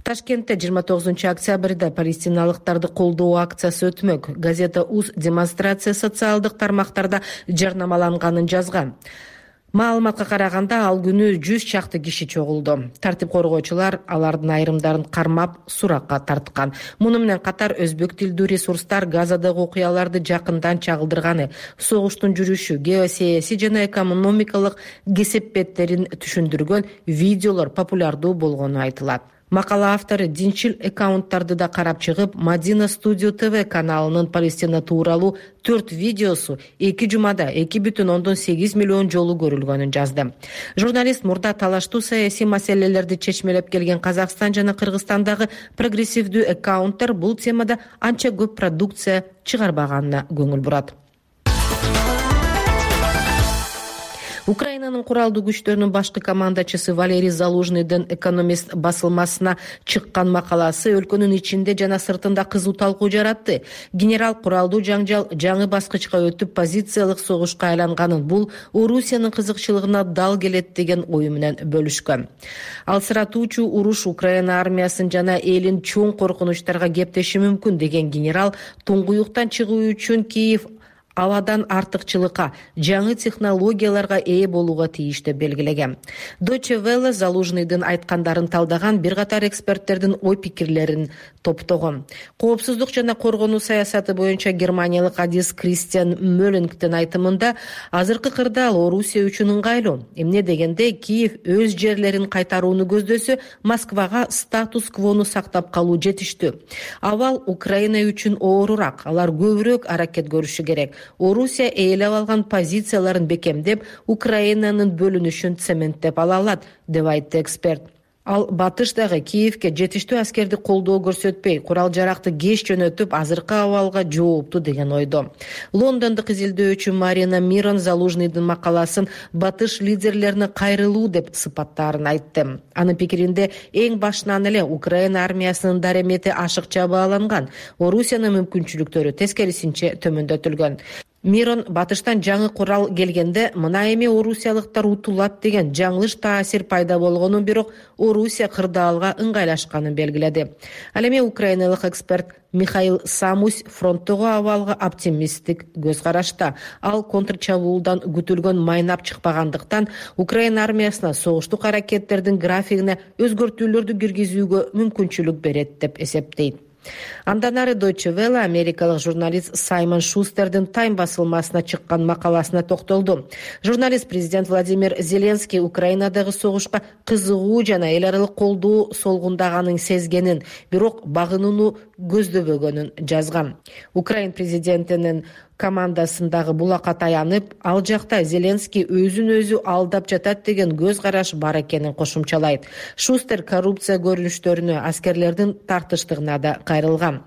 Ташкентте жыйырма тогузунчу октябрда палестиналыктарды колдоо акциясы өтмөк. Газета УЗ демонстрация социалдык тармактарда жарнамаланганын жазган. Маалыматка караганда ал күнү жүз чакты киши чогулду. Тартип коргоочулар алардын айрымдарын кармап суракка тарткан. Муну менен катар өзбек тилдүү ресурстар Газадагы окуяларды жакындан чагылдырганы, согуштун жүрүшү, геосаясий жана экономикалык кесепеттерин түшүндүргөн видеолор популярдуу болгону айтылат. Макала автору динчил аккаунттарды да карап чыгып, Мадина Студио ТВ каналынын Палестина тууралуу төрт видеосу эки жумада эки бүтүн ондон сегиз миллион жолу көрүлгөнүн жазды. Журналист мурда талаштуу саясий маселелерди чечмелеп келген Казакстан жана Кыргызстандагы прогрессивдүү аккаунттар бул темада анча көп продукция чыгарбаганына көңүл бурат. Украинанын куралдуу күчтөрүнүн башкы командачысы Валерий Залужныйдын Экономист басылмасына чыккан макаласы өлкөнүн ичинде жана сыртында кызуу талкуу жаратты. Генерал куралдуу жаңжал жаңы баскычка өтүп позициялык согушка айланганын, бул Орусиянын кызыкчылыгына дал келет деген ою менен бөлүшкөн. Алсыратуучу уруш Украина армиясын жана элин чоң коркунучтарга кептеши мүмкүн деген генерал туңгуюктан чыгуу үчүн Киев абадан артыкчылыкка, жаңы технологияларга ээ болууга тийиш деп белгилеген. Deutsche Welle Залужныйдын айткандарын талдаган бир катар эксперттердин ой пикирлерин топтогон. Коопсуздук жана коргонуу саясаты боюнча германиялык адис Кристиан Мөллингдин айтымында азыркы кырдаал Орусия үчүн ыңгайлуу. Эмне дегенде Киев өз жерлерин кайтарууну көздөсө, Москвага статус-квону сактап калуу жетиштүү. Абал Украина үчүн оорураак, алар көбүрөөк аракет көрүшү керек. Орусия ээлеп алган позицияларын бекемдеп, Украинанын бөлүнүшүн цементтеп ала алат, деп айтты эксперт. Ал батыш дагы Киевке жетиштүү аскерди колдоо көрсөтпөй, курал жаракты кеч жөнөтүп, азыркы абалга жоопту деген ойдо. Лондондук изилдөөчү Марина Мирон Залужныйдын макаласын батыш лидерлерине кайрылуу деп сыпаттаарын айтты. Анын пикиринде эң башынан эле Украина армиясынын даремети ашыкча бааланган, Орусиянын мүмкүнчүлүктөрү тескерисинче төмөндөтүлгөн. Мирон батыштан жаңы курал келгенде мына эми орусиялыктар утулат деген жаңылыш таасир пайда болгонун, бирок Орусия кырдаалга ыңгайлашканын белгиледи. Ал эми украиналык эксперт Михаил Самусь фронттогу абалга оптимисттик көз карашта. Ал контрчабуулдан күтүлгөн майнап чыкпагандыктан Украина армиясына согуштук аракеттердин графигине өзгөртүүлөрдү киргизүүгө мүмкүнчүлүк берет деп эсептейт. Андан ары Deutsche Welle америкалык журналист Саймон Шустердин Time басылмасына чыккан макаласына токтолду. Журналист президент Владимир Зеленский Украинадагы согушка кызыгуу жана эл аралык колдоо солгундаганын сезгенин, бирок багынууну көздөбөгөнүн жазган. Украин президентинин командасындагы булакка таянып, ал жакта Зеленский өзүн өзү алдап жатат деген көз караш бар экенин кошумчалайт. Шустер коррупция көрүнүштөрүнө, аскерлердин тартыштыгына да кайрылган.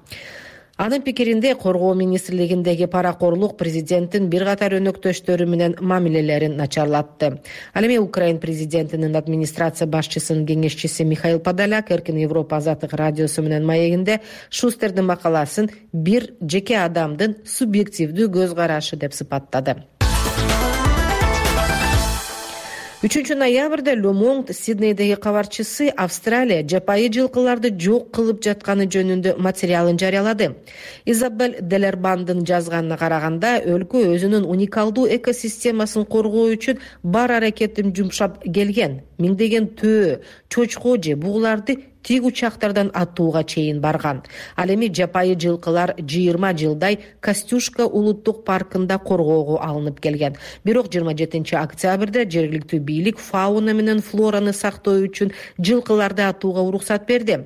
Анын пикиринде коргоо министрлигиндеги паракорлук президенттин бир катар өнөктөштөрү менен мамилелерин начарлатты. Ал эми Украин президентинин администрация башчысынын кеңешчиси Михаил Подоляк Эркин Европа азаттык радиосу менен маегинде Шустердин макаласын бир жеке адамдын субъективдүү көз карашы деп сыпаттады. үчүнчү ноябрда Le Monde Сиднейдеги кабарчысы Австралия жапайы жылкыларды жок кылып жатканы жөнүндө материалын жарыялады. Изабель Делербандын жазганына караганда, өлкө өзүнүн уникалдуу экосистемасын коргоо үчүн бар аракетин жумшап келген. Миңдеген төө, чочко же бугуларды тик учактардан атууга чейин барган. Ал эми жапайы жылкылар жыйырма жылдай Костюшка улуттук паркында коргоого алынып келген. Бирок жыйырма жетинчи октябрда жергиликтүү бийлик фауна менен флораны сактоо үчүн жылкыларды атууга уруксат берди.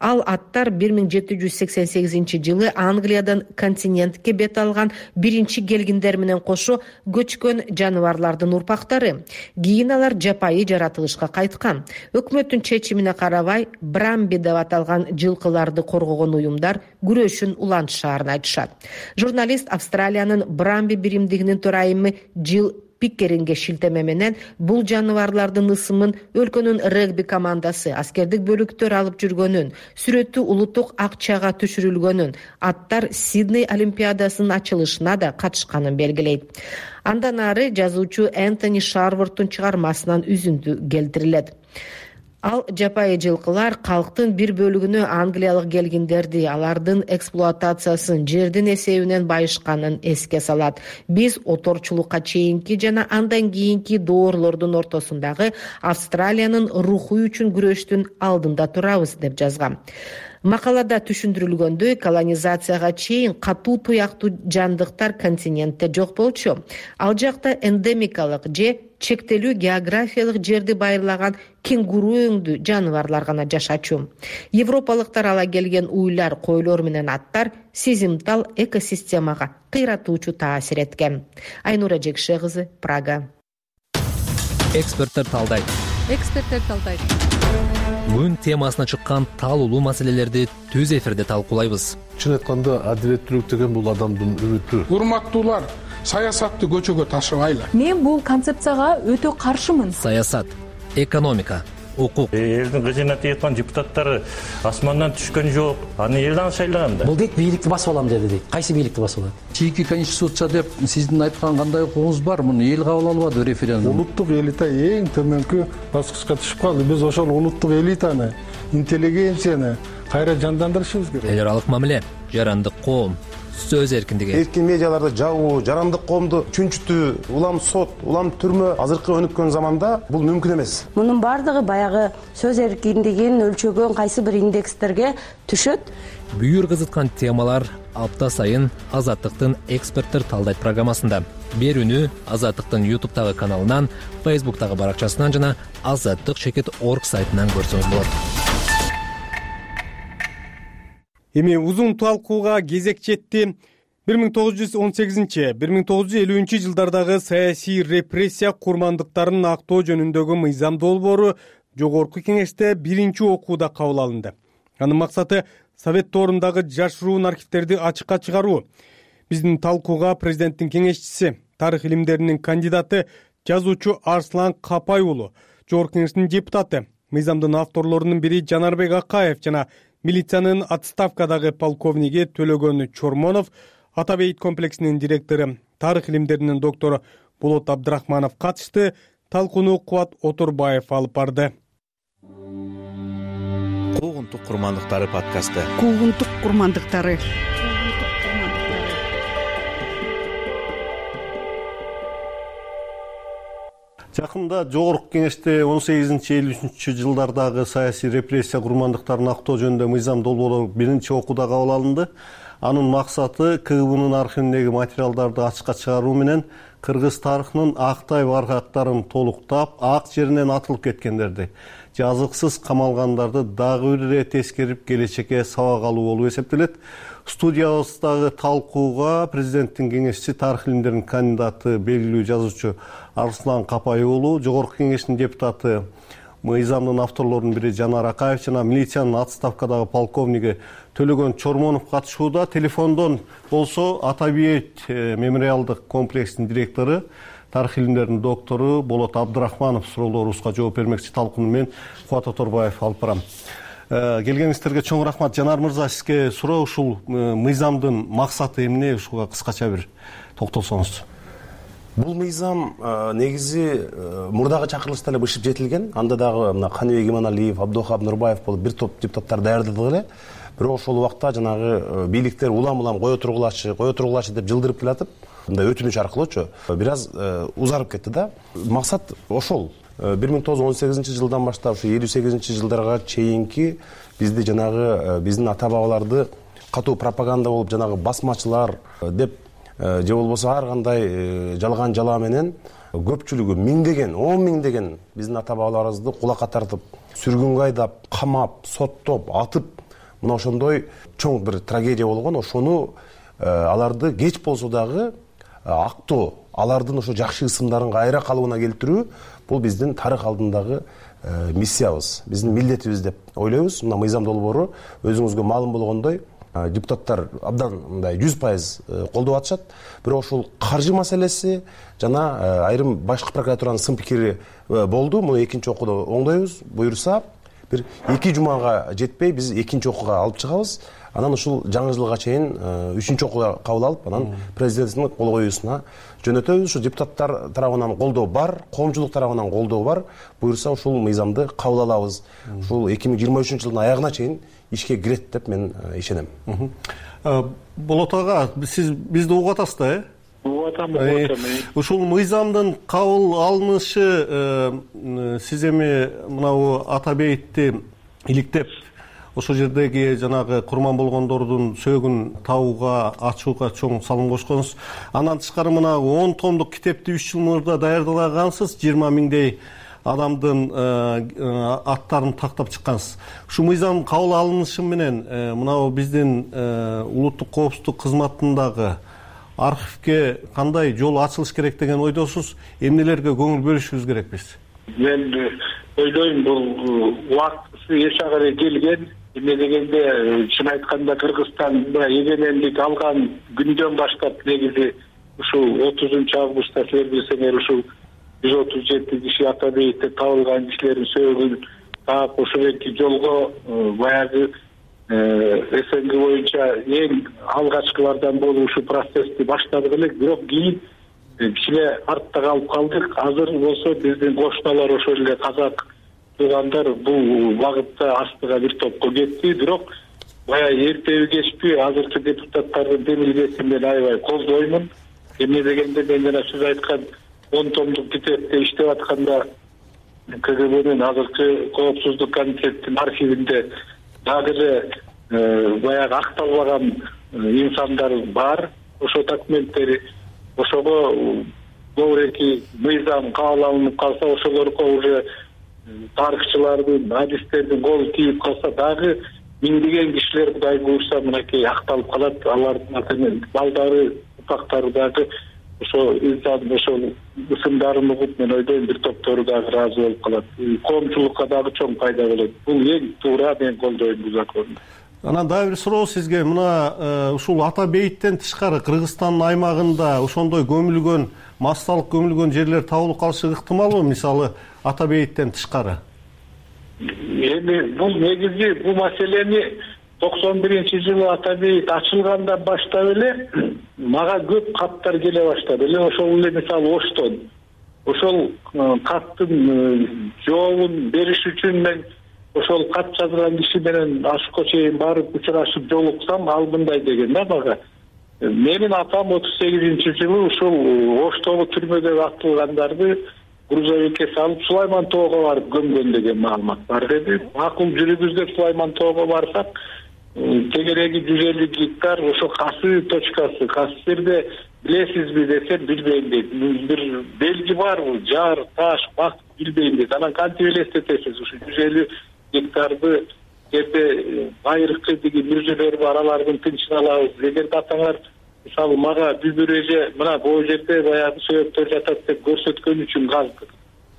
Ал аттар бир миң жети жүз сексен сегизинчи жылы Англиядан континентке бет алган биринчи келгиндер менен кошо көчкөн жаныбарлардын урпактары. Кийин алар жапайы жаратылышка кайткан. Өкмөттүн чечимине карабай Брамби деп аталган жылкыларды коргогон уюмдар күрөшүн улантышаарын айтышат. Журналист Австралиянын Брамби биримдигинин төрайымы Джилл Пиккеринге шилтеме менен бул жаныбарлардын ысымын өлкөнүн регби командасы, аскердик бөлүктөр алып жүргөнүн, сүрөтү улуттук акчага түшүрүлгөнүн, аттар Сидней Олимпиадасынын ачылышына да катышканын белгилейт. Андан ары жазуучу Энтони Шарвордтун чыгармасынан үзүндү келтирилет. Ал жапайы жылкылар калктын бир бөлүгүнө англиялык келгиндерди, алардын эксплуатациясын, жердин эсебинен байышканын эске салат. Биз оторчулукка чейинки жана андан кийинки доорлордун ортосундагы Австралиянын руху үчүн күрөштүн алдында турабыз деп жазган. Макалада түшүндүрүлгөндөй, колонизацияга чейин катуу туяктуу жандыктар континентте жок болчу. Ал жакта эндемикалык же чектелүү географиялык жерди байырлаган кенгуру өңдүү жаныбарлар гана жашачу. Европалыктар ала келген уйлар, койлор менен аттар сезимтал экосистемага кыйратуучу таасир эткен. Айнура Жекше кызы, Прага. Эксперттер талдайт. Эксперттер талдайт. Күн темасына чыккан таалуулуу маселелерди түз эфирде талкуулайбыз. Чын айтканда, адилеттүүлүк деген бул адамдын үмүтү. Урматтуулар, саясатты көчөгө ташыбайлы. Мен бул концепцияга өтө каршымын. Саясат, экономика, укук. Элдин кызына тийаткан депутаттары асмандан түшкөн жок. Аны элден шайлаган да. Бул дейт бийликти басып алам деди дейт. Кайсы бийликти басып алат? Чийки конституция деп сиздин айткан кандай укугуңуз бар? Муну эл кабыл албады референдум. Улуттук элита эң төмөнкү баскычка түшүп калды. Биз ошол улуттук элитаны, интеллигенцияны кайра жандандырышыбыз керек. Эл аралык мамиле, жарандык коом, сөз эркиндиги. Эркин медиаларды жабуу, жарандык коомду чүнчүтүү, улам сот, улам түрмө азыркы өнүккөн заманда бул мүмкүн эмес. Мунун бардыгы баягы сөз эркиндигин өлчөгөн кайсы бир индекстерге түшөт. Бүйүр кызыткан темалар апта сайын Азаттыктын эксперттер талдайт программасында. Берүүнү Азаттыктын ютубтагы каналынан, фейсбуктагы баракчасынан жана азаттык чекит точка орг сайтынан көрсөңүз болот. Эми узун талкууга кезек жетти. бир миң тогуз жүз он сегизинчи — бир миң тогуз жүз элүүнчү жылдардагы саясий репрессия курмандыктарын актоо жөнүндөгү мыйзам долбоору жогорку кеңеште биринчи окууда кабыл алынды. Анын максаты Совет доорундагы жашыруун архивтерди ачыкка чыгаруу. Биздин талкууга президенттин кеңешчиси, тарых илимдеринин кандидаты, жазуучу Арслан Капай уулу, жогорку кеңештин депутаты, мыйзамдын авторлорунун бири Жанарбек Акаев жана милициянын отставкадагы полковниги Төлөгөн Чормонов, Ата бейит комплексинин директору, тарых илимдеринин доктору Болот Абдрахманов катышты. Талкууну Кубат Отурбаев алып барды. Куугунтук курмандыктары подкасты. Куугунтук курмандыктары. Жакында жогорку кеңеште он сегизинчи элүү үчүнчү жылдардагы саясий репрессия курмандыктарын актоо жөнүндө мыйзам долбоору биринчи окууда кабыл алынды. Анын максаты КГБнын архивиндеги материалдарды ачыкка чыгаруу менен кыргыз тарыхынын актай баргактарын толуктап, ак жеринен атылып кеткендерди, жазыксыз камалгандарды дагы бир ирет эскерип, келечекке сабак алуу болуп эсептелет. Студиябыздагы талкууга президенттин кеңешчиси, тарых илимдеринин кандидаты, белгилүү жазуучу Арслан Капай уулу, жогорку кеңештин депутаты, мыйзамдын авторлорунун бири Жанар Акаев жана милициянын отставкадагы полковниги Төлөгөн Чормонов катышууда. Телефондон болсо Ата бейит мемориалдык комплексинин директору, тарых илимдеринин доктору Болот Абдрахманов суроолорубузга жооп бермекчи. Талкууну мен Кубат Оторбаев алып барам. Келгениңиздерге чоң рахмат. Жанар мырза, сизге суроо, ушул мыйзамдын максаты эмне, ушуга кыскача бир токтолсоңуз. Бул мыйзам негизи мурдагы чакырылышта эле бышып жетилген. Анда дагы мына Каныбек Иманалиев, Абдохап Нурбаев болуп бир топ депутаттар даярдады эле. Бирок ошол убакта жанагы бийликтер улам-улам кое тургулачы, кое тургулачы деп жылдырып келатып, мындай өтүнүч аркылуучу бир аз узарып кетти да. Максат ошол. бир миң тогуз жүз он сегизинчи жылдан баштап ушу элүү сегизинчи жылдарга чейинки бизди жанагы биздин ата-бабаларды катуу пропаганда болуп жанагы басмачылар деп же болбосо ар кандай жалган жала менен көпчүлүгү миңдеген, он миңдеген биздин ата-бабаларыбызды кулакка тартып, сүргүнгө айдап, камап, соттоп, атып, мына ошондой чоң бир трагедия болгон. Ошону аларды кеч болсо дагы актоо, алардын ошо жакшы ысымдарын кайра калыбына келтирүү бул биздин тарых алдындагы миссиябыз, биздин милдетибиз деп ойлойбуз. Мына мыйзам долбоору өзүңүзгө маалым болгондой депутаттар абдан мындай жүз пайыз колдоп атышат. Бирок ошол каржы маселеси жана айрым башкы прокуратуранын сын пикири болду. Муну экинчи окууда оңдойбуз. Буюрса бир эки жумага жетпей биз экинчи окууга алып чыгабыз. Анан ушул жаңы жылга чейин үчүнчү окууга кабыл алып, анан президенттин кол коюусуна жөнөтөбүз. Ушу депутаттар тарабынан колдоо бар, коомчулук тарабынан колдоо бар. Буюрса ушул мыйзамды кабыл алабыз. Ушул эки миң жыйырма үчүнчү жылдын аягына чейин ишке кирет деп мен ишенем. Болот ага, сиз бизди угуп атасыз да, э? Угуп атам, угуп атам. Ушул мыйзамдын кабыл алынышы сиз эми мынабу Ата бейитти иликтеп, ошол жердеги жанагы курман болгондордун сөөгүн табууга, ачууга чоң салым кошконсуз. Андан тышкары мына он томдук китепти үч жыл мурда даярдагансыз, жыйырма миңдей адамдын аттарын тактап чыккансыз. Ушу мыйзам кабыл алынышы менен мынабу биздин улуттук коопсуздук кызматындагы архивге кандай жол ачылыш керек деген ойдосуз? Эмнелерге көңүл бөлүшүбүз керекпиз? Мен ойлойм, бул убакыты эч ага келген. Эмне дегенде, чын айтканда Кыргызстан эгемендик алган күндөн баштап негизи ушул отузунчу августта силер билсеңер ушул жүз отуз жети киши Ата бейитте табылган кишилердин сөөгүн таап ошол эки жолго баягы СНГ боюнча эң алгачкылардан болуп ушул процессти баштадык элек. Бирок кийин кичине артта калып калдык. Азыр болсо биздин кошуналар ошол эле казак туугандар бул багытта астыга бир топко кетти. Бирок баягы эртеби кечпи азыркы депутаттардын демилгесин мен аябай колдоймун. Эмне дегенде, мен жана сиз айткан он томдук китепте иштеп атканда КГБнын азыркы коопсуздук комитеттин архивинде дагы эле баягы акталбаган инсандар бар. Ошо документтери, ошого көбүрөөк мыйзам кабыл алынып калса, ошолорго уже тарыхчылардын, адистердин колу тийип калса, дагы миңдеген кишилер Кудай буйрса мынакей акталып калат. Алардын балдары, упактары дагы ошо инсан ошол ысымдарын угуп, мен ойлойм бир топтору дагы ыраазы болуп калат. Коомчулукка дагы чоң пайда болот. Бул эң туура, мен колдойм бул законду. Анан дагы бир суроо сизге. Мына ушул ата бейиттен тышкары Кыргызстандын аймагында ошондой көмүлгөн, массалык көмүлгөн жерлер табылып калышы ыктымалбы, мисалы ата бейиттен тышкары? Эми бул негизи бул маселени токсон биринчи жылы ата бейит ачылгандан баштап эле мага көп каттар келе баштады эле. Ошол эле мисалы Оштон. Ошол каттын жообун бериш үчүн мен ошол кат жазган киши менен ашыкка чейин барып учурашып жолуксам, ал мындай деген да мага: менин атам отуз сегизинчи жылы ушул Оштогу түрмөдө атылгандарды грузовикке салып Сулайман тоого барып көмгөн деген маалымат бар деди. Макул жүрүбүз деп Сулайман тоого барсак, тегереги жүз элүү гектар ошо касы точкасы. Касы жерде билесизби десем, билбейм дейт. Бир белги барбы, жар, таш, бак, билбейм дейт. Анан кантип элестетесиз ушу жүз элүү гектарды жерде байыркы деген мүрзөлөр бар, алардын тынчын алабыз. Эгерде атаңар мисалы мага бүбүр эже мына бул жерде баягы сөйөктөр жатат деп көрсөткөн үчүн каздык.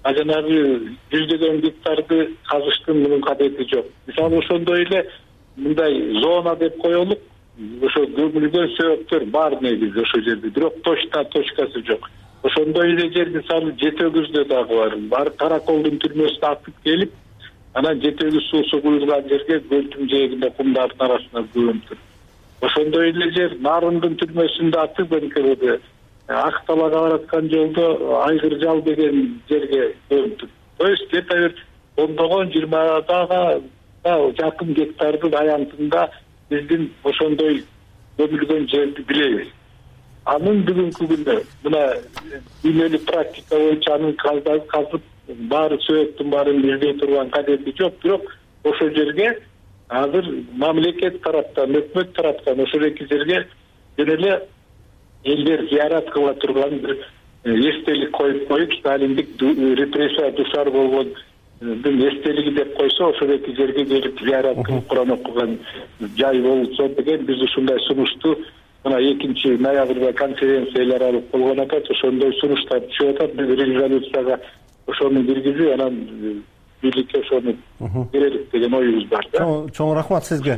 А жанагы жүздөгөн гектарды казыштын мунун кадети жок. Мисалы ошондой эле мындай зона деп коелук, ошо көмүлгөн сөйөктөр бар негизи ошол жерде, бирок точно точкасы жок. Ошондой эле жер мисалы Жети өгүздө дагы бар. Бар Караколдун түрмөсүнө атып келип, анан Жети өгүз суусу куюлган жерге көлдүн жээгинде кумдардын арасына көмүптүр. Ошондой эле жер Нарындын түрмөсүндө атып НКВД Ак Талаага бараткан жолдо Айгыр жал деген жерге көмүптүр. То есть где-то бир ондогон жыйырмадага жакын гектардын аянтында биздин ошондой көмүлгөн жерди билебиз. Анын бүгүнкү күндө мына дүйнөлүк практика боюнча анын казып баары сөйөттүн баарын издей турган кадети жок. Бирок ошол жерге азыр мамлекет тараптан, өкмөт тараптан ошол эки жерге жөн эле элдер зыярат кыла турган бир эстелик коюп коюп, сталиндик репрессия душар болгон эстелиги деп койсо, ошол эки жерге келип зыярат кылып Куран окуган жай болсо деген биз ушундай сунушту мына экинчи ноябрда конференциялар алып болгон атат. Ошондой сунуштар түшүп атат. Биз резолюцияга ошону киргизип, анан бийликке ошону берелик деген оюбуз бар да. Чоң рахмат сизге.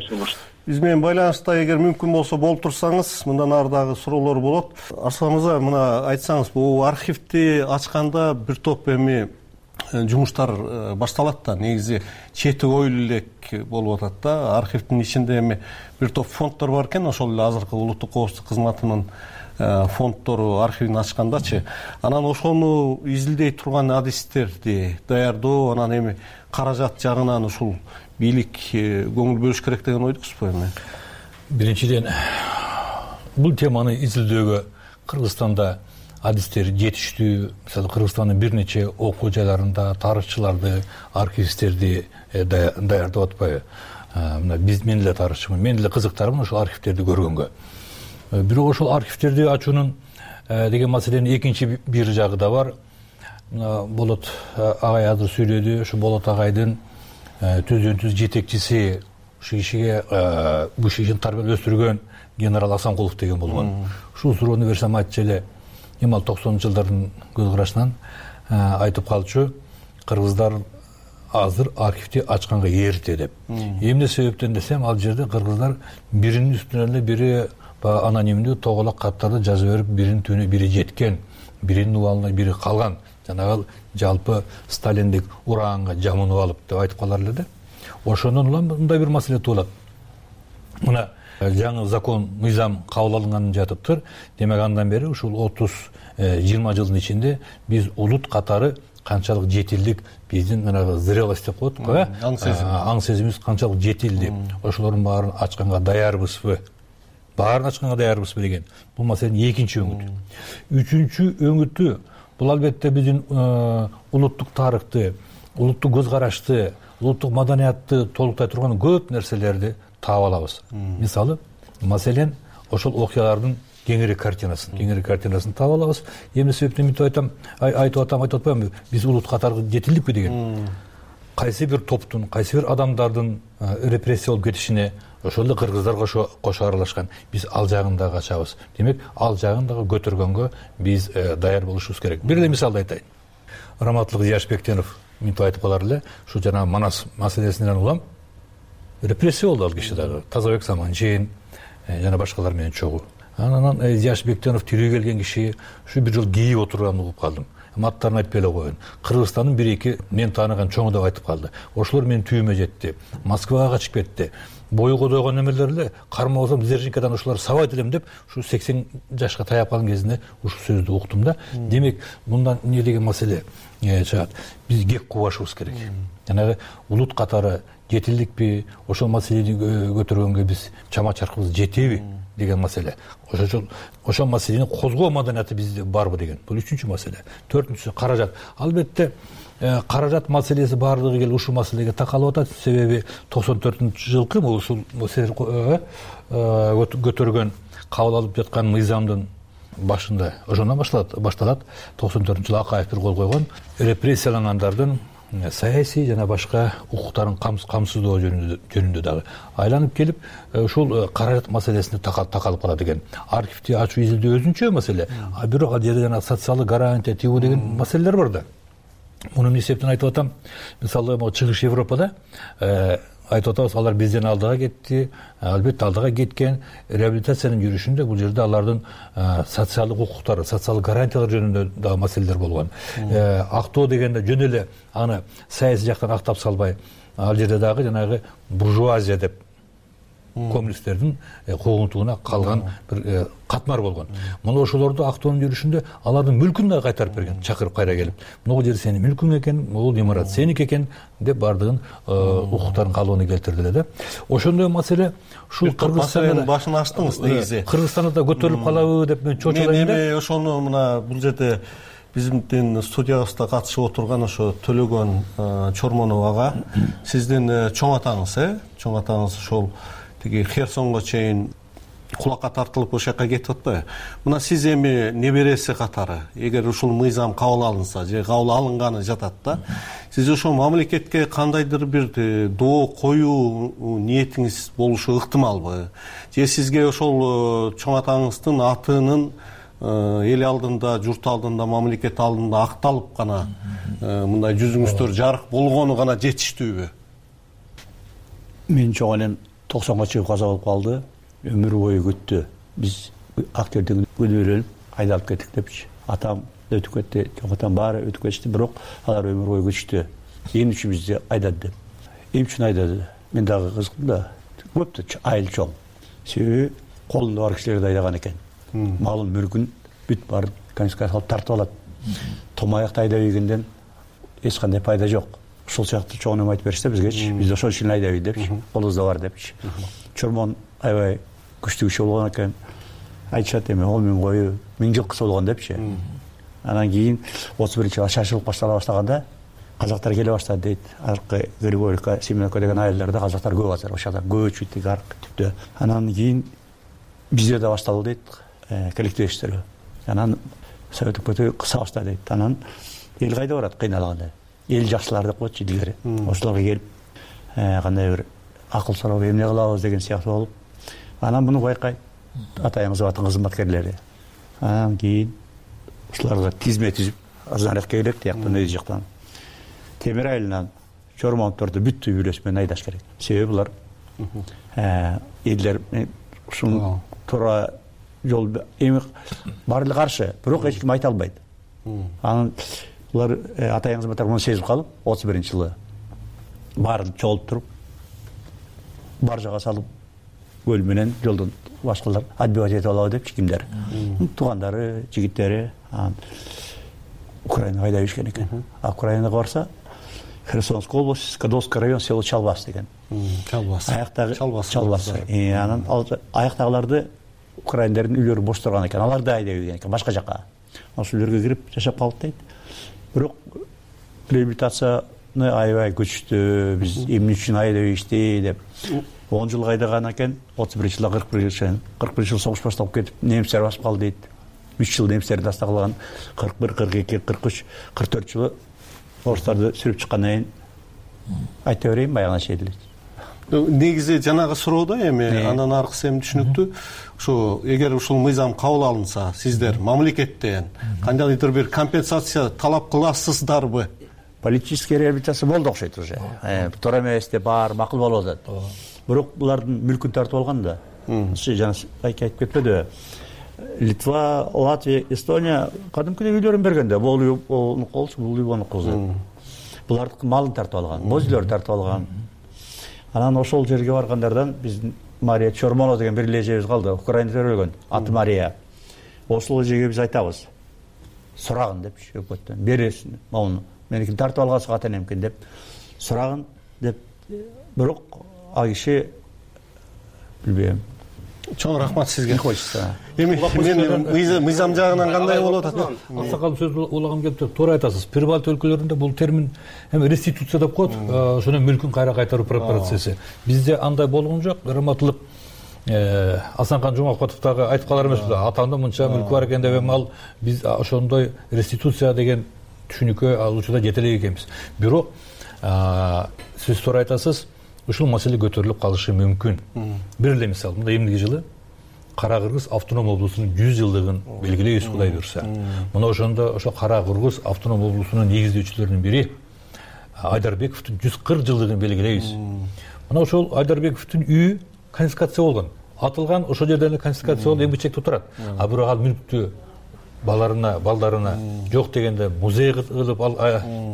Биз менен байланышта эгер мүмкүн болсо болуп турсаңыз, мындан ары дагы суроолор болот. Арслан мырза, мына айтсаңыз, бул архивди ачканда бир топ эми жумуштар башталат да. Негизи чети оюлу элек болуп атат да. Архивдин ичинде эми бир топ фонддор бар экен, ошол эле азыркы улуттук коопсуздук кызматынын фонддору архивин ачкандачы. Анан ошону изилдей турган адистерди даярдоо, анан эми каражат жагынан ушул бийлик көңүл бөлүш керек деген ойдусузбу эми? Биринчиден, бул теманы изилдөөгө Кыргызстанда адистер жетиштүү. Мисалы, Кыргызстандын бир нече окуу жайларында тарыхчыларды, архивисттерди даярдап атпайбы? Мына биз мен эле тарыхчымын, мен эле кызыктармын ошол архивтерди көргөнгө. Бирок ошол архивтерди ачуунун деген маселенин экинчи бир жагы да бар. Болот агай азыр сүйлөдү, ошо Болот агайдын түздөн түз жетекчиси, ушул кишиге бул кишини тарбиялап өстүргөн генерал Асанкулов деген болгон. Ушул суроону берсем айтчу эле, эми ал токсонунчу жылдардын көз карашынан айтып калчу, кыргыздар азыр архивди ачканга эрте деп. Эмне себептен десем, ал жерде кыргыздар биринин үстүнө эле бири анонимдүү тоголок каттарды жазып берип, биринин түбүнө бири жеткен, биринин убалына бири калган. Жанагы жалпы сталиндик ураганга жамынып алып деп айтып калар эле да. Ошондон улам мындай бир маселе туулат. Мына жаңы закон, мыйзам кабыл алынганын жатыптыр. Демек андан бери ушул отуз жыйырма жылдын ичинде биз улут катары канчалык жетилдик, биздин мына зрелость деп коет го, аң сезимибиз канчалык жетилди. Ошолордун баарын ачканга даярбызбы? Баарын ачканга даярбызбы деген. Бул маселенин экинчи өңүтү. Үчүнчү өңүтү бул албетте биздин улуттук тарыхты, улуттук көз карашты, улуттук маданиятты толуктай турган көп нерселерди таап алабыз. Мисалы, маселен, ошол окуялардын кеңири картинасын, кеңири картинасын таап алабыз. Эмне себептен мынтип айтам, айтып атам, айтып атпаймынбы? Биз улут катары жетилдикпи деген. Кайсы бир топтун, кайсы бир адамдардын репрессия болуп кетишине ошол эле кыргыздар кошо аралашкан. Биз ал жагын дагы ачабыз. Демек, ал жагын дагы көтөргөнгө биз даяр болушубуз керек. Бир эле мисалды айтайын. Раматлык Зияшбектенов мынтип айтып калар эле, ушу жана Манас маселесинен улам репрессия болду ал киши дагы. Тазабек Саманжин жана башкалар менен чогуу. Анан Зияшбектенов тирүү келген киши ушу бир жол кейип отурганын угуп калдым. Аттарын айтпай эле коеюн. Кыргызстандын бир эки мен тааныган чоңу деп айтып калды. Ошолор менин түйүмө жетти. Москвага качып кетти. Бою кодойгон эмелер эле карма болсом Дзержинкадан ошолор сабайт элем деп ушу сексен жашка таяп калган кезинде ушул сөздү уктум да. Демек, мындан эмне деген маселе чыгат. Биз кеп кубашыбыз керек. Жанагы улут катары жетилдикпи, ошол маселени көтөргөнгө биз чама чаркыбыз жетеби деген маселе. Ошол ошол маселени козгоо маданияты бизде барбы деген. Бул үчүнчү маселе. Төртүнчүсү каражат. Албетте, каражат маселеси баардыгы келип ушул маселеге такалып атат. Себеби токсон төртүнчү жылкы ушул көтөргөн кабыл алып жаткан мыйзамдын башында ошондон башталат. Башталат. токсон төртүнчү жылы Акаев бир кол койгон репрессиялангандардын саясий жана башка укуктарын камсыздоо жөнүндө дагы айланып келип, ушул каражат маселесине такалып калат экен. Архивди ачуу изилдөө өзүнчө маселе, а бирок ал жерде жана социалдык гарантия тигүү деген маселелер бар да. Муну эмне себептен айтып атам? Мисалы, могу чыгыш Европада айтып атабыз, алар бизден алдыга кетти. Албетте, алдыга кеткен реабилитациянын жүрүшүндө бул жерде алардын социалдык укуктары, социалдык гарантиялар жөнүндө дагы маселелер болгон. Актоо дегенде жөн эле аны саясий жактан актап салбай, ал жерде дагы жанагы буржуазия деп коммунисттердин куугунтугуна калган бир катмар болгон. Мына ошолорду актоонун жүрүшүндө алардын мүлкүн дагы кайтарып берген, чакырып кайра келип. Могу жер сенин мүлкүң экен, могу имарат сеники экен деп бардыгын укуктарын калыбына келтирди эле да. Ошондой маселе ушул Кыргызстандын башын ачтыңыз негизи. Кыргызстанда да көтөрүлүп калабы деп мен чочулайм да. Мен ошону мына бул жерде биздин студиябызда катышып отурган ошо Төлөгөн Чормонов ага, сиздин чоң атаңыз, э? Чоң атаңыз ошол тиги Херсонго чейин кулакка тартылып ошол жака кетип атпайбы? Мына сиз эми небереси катары, эгер ушул мыйзам кабыл алынса же кабыл алынганы жатат да, сиз ошол мамлекетке кандайдыр бир доо коюу ниетиңиз болушу ыктымалбы? Же сизге ошол чоң атаңыздын атынын эл алдында, журт алдында, мамлекет алдында акталып гана мындай жүзүңүздөр жарык болгону гана жетиштүүбү? Мен чоң энем токсонго чыгып каза болуп калды. Өмүр бою күттү. Биз актердин күнөөлөнүп айдалып кеттик депчи. Атам өтүп кетти, чоң атам баары өтүп кетти, бирок алар өмүр бою күттү. Эмне үчүн бизди айдады деп. Эмне үчүн айдады? Мен дагы кызыктым да. Көптү айыл чоң. Себеби колунда бар кишилерди айдаган экен. Малын, мүлкүн бүт барып конфискация кылып тартып алат. Томаякты айдап ийгенден эч кандай пайда жок. Ушул сыяктуу чоң эме айтып беришти бизгечи. Биз ошол үчүн айдайбыз депчи. Колубузда бар депчи. Чормон аябай күчтүү киши болгон экен. Айтышат эми он миң кою миң жылкысы болгон депчи. Анан кийин отуз биринчи жылы шашылып баштала баштаганда казактар келе баштады дейт. Аркы Григорьевка, Семеновка деген айылдарда казактар көп азыр ошол жакта көч бүттүк аркы түптө. Анан кийин бизде да башталды дейт, коллективдештерге. Анан совет өкмөтү кыса баштады дейт. Анан эл кайда барат кыйналганда? Эл жакшылар деп коет илгери. Ошолорго келип кандай бир акыл сурап эмне кылабыз деген сыяктуу болуп, анан муну байкайт атайыңыз батын кызматкерлери. Анан кийин ушуларга тизме түзүп, арзаныраак келип, тияктан өз жактан темир айылынан Чормоновдорду бүттү үйлөс менен айдаш керек. Себеби булар элдер ушул туура жол эми баары каршы, бирок эч ким айта албайт. Анан булар атайыңыз батар муну сезип калып, отуз биринчи жылы баарын чогултуп туруп, баржага салып, көл менен жолдон башкалар отбивать этип алабы деп кимдер. Туугандары, жигиттери Украинага айдап ишкен экен. А Украинага барса, Херсонская область, Скадовский район, село Чалбас деген. Чалбас. Аяктагы Чалбас. Анан аяктагыларды украиндердин үйлөрү бош турган экен. Аларды айдап ийген экен башка жака. Ошол үйлөргө кирип жашап калып дейт. Бирок реабилитацияны аябай күчтүү, биз эмне үчүн айдап ийишти деп он жыл айдаган экен. отуз биринчи жылда кырк бир жыл, кырк бир жыл согуш башталып кетип, немистер басып калды дейт. үч жыл немистерди астагылган, кырк бир, кырк эки, кырк үч, кырк төрт жылы орустарды сүрүп чыккандан кийин айта берейин баягына чейин эле. негизи жанагы суроодо эми андан аркысы эми түшүнүктүү. Ошо эгер ушул мыйзам кабыл алынса, сиздер мамлекеттен кандайдыр бир компенсация талап кыласыздарбы? Политический реабилитация болду окшойт уже. Туура эмес деп баары макул болуп атат. Бирок булардын мүлкүн тартып алган да. Жана айка айтып кетпедиби? Литва, Латвия, Эстония кадимкидей үйлөрүн берген да. Бул үй болчу, бул үй болчу. Булардын малын тартып алган, боз үйлөрүн тартып алган. Анан ошол жерге баргандардан биздин Мария Чормонова деген бир эле эжебиз калды. Украинада өлгөн. Аты Мария. Ошол эжеге биз айтабыз. Сурагын депчи өкмөттөн. Бересин мауну. Меникин тартып алгансыз ата энемкен деп сурагын деп. Бирок ал киши билбейм. Чоң рахмат сизге. Хочется. Эми мен мыйзам жагынан кандай болуп атат? Аксакал сөз улагым келип, туура айтасыз. Прибалт өлкөлөрүндө бул термин эми реституция деп коет, ошону мүлкүн кайра кайтаруу процесси. Бизде андай болгон жок. Грамоталык Асанкан Жумакотовдагы айтып калар эмеспи? Атамда мынча мүлкү бар экен деп эми ал биз ошондой реституция деген түшүнүккө алуучуда жете элек экенбиз. Бирок сиз туура айтасыз. Ушул маселе көтөрүлүп калышы мүмкүн. Бир эле мисал, мында эмдиги жылы Кара Кыргыз автоном облусунун жүз жылдыгын белгилейбиз, Кудай буйрса. Мына ошондо ошо Кара Кыргыз автоном облусунун негиздөөчүлөрүнүн бири Айдарбековдун жүз кырк жылдыгын белгилейбиз. Мына ошол Айдарбековдун үйү конфискация болгон. Атылган ошол жерден конфискация болуп эмгичекте турат. А бирок ал мүлктү баларына, балдарына жок дегенде музей кылып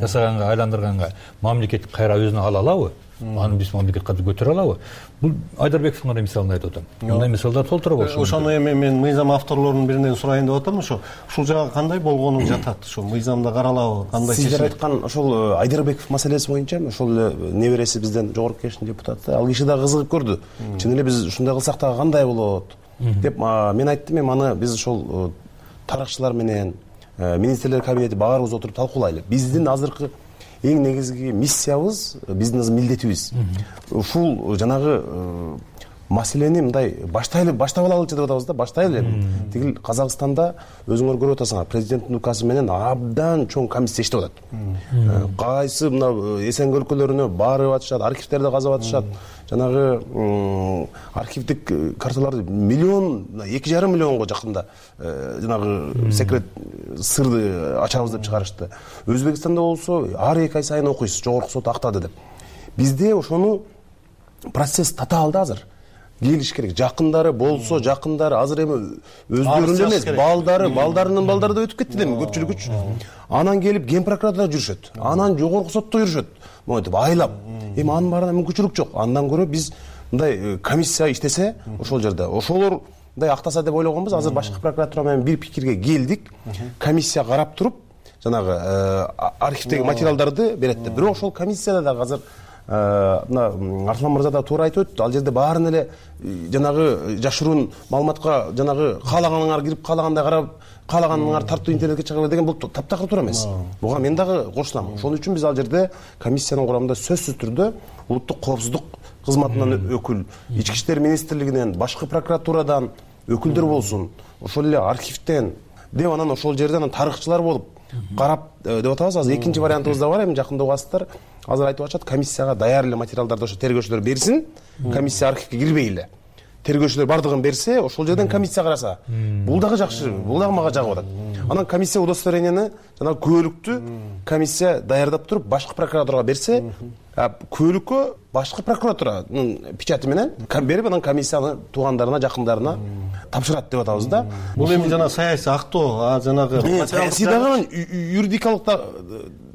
жасаганга, айландырганга мамлекет кайра өзүнө ала алабы? Аны биз мамлекет катары көтөрө алабы? Бул Айдарбековдун гана мисалын айтып атам. Мындай мисалдар толтура болушу. Ошону эми мен мыйзам авторлорунун биринен сурайын деп атам. Ошо ушул жагы кандай болгону жатат? Ошо мыйзамда каралабы? Кандай чечим? Сиздер айткан ошол Айдарбеков маселеси боюнча ошол небереси бизден жогорку кеңештин депутаты, ал киши да кызыгып көрдү. Чын эле биз ушундай кылсак дагы кандай болот деп мен айттым. Эми аны биз ошол тарыхчылар менен министрлер кабинети баарыбыз отуруп талкуулайлы. Биздин азыркы эң негизги миссиябыз, биздин милдетибиз. Ушул жанагы маселени мындай баштайлы, баштап алалычы деп атабыз да, баштайлы. Тигил Казакстанда өзүңөр көрүп атасыңар, президенттин указы менен абдан чоң комиссия иштеп атат. Кайсы мына Эсенге өлкөлөрүнө барып атышат, архивтерди казап атышат. Жанагы архивдик карталарды миллион, эки жарым миллионго жакында жанагы секрет сырды ачабыз деп чыгарышты. Өзбекстанда болсо ар эки ай сайын окуйсуз, жогорку сот актады деп. Бизде ошону процесс татаалда азыр. Келиш керек. Жакындары болсо, жакындары азыр эми өздөрүнүн эмес, балдары, балдарынын балдары да өтүп кетти эми көпчүлүк үч. Анан келип Ген прокуратурада жүрүшөт. Анан жогорку сотто жүрүшөт. Монтип айлап. Эми анын баарына мүмкүнчүлүк жок. Андан көрө биз мындай комиссия иштесе, ошол жерде ошолор мындай актаса деп ойлогонбуз. Азыр башкы прокуратура менен бир пикирге келдик. Комиссия карап туруп, жанагы архивдеги материалдарды берет деп. Бирок ошол комиссияда дагы азыр мына Арслан мырза да туура айтып өттү. Ал жерде баарын эле жанагы жашыруун маалыматка жанагы каалаганыңар кирип, каалагандай карап, каалаганыңар тартып интернетке чыгып деген бул таптакыр туура эмес. Буга мен дагы кошулам. Ошон үчүн биз ал жерде комиссиянын курамында сөзсүз түрдө улуттук коопсуздук кызматынан өкүл, ички иштер министрлигинен, башкы прокуратурадан өкүлдөр болсун, ошол эле архивден деп анан ошол жерден тарыхчылар болуп карап деп атабыз. Азыр экинчи вариантыбыз да бар. Эми жакында угасыздар. Азыр айтып атышат, комиссияга даяр эле материалдарды ошо тергөөчүлөр берсин. Комиссия архивге кирбей эле. Тергөөчүлөр бардыгын берсе, ошол жерден комиссия караса. Бул дагы жакшы, бул дагы мага жагып атат. Анан комиссия удостоверениени жана күбөлүктү комиссия даярдап туруп башкы прокуратурага берсе, күбөлүккө башкы прокуратуранын печати менен берип, анан комиссияны туугандарына, жакындарына тапшырат деп атабыз да. Бул эми жана саясий актоо, жанагы саясий дагы юридикалык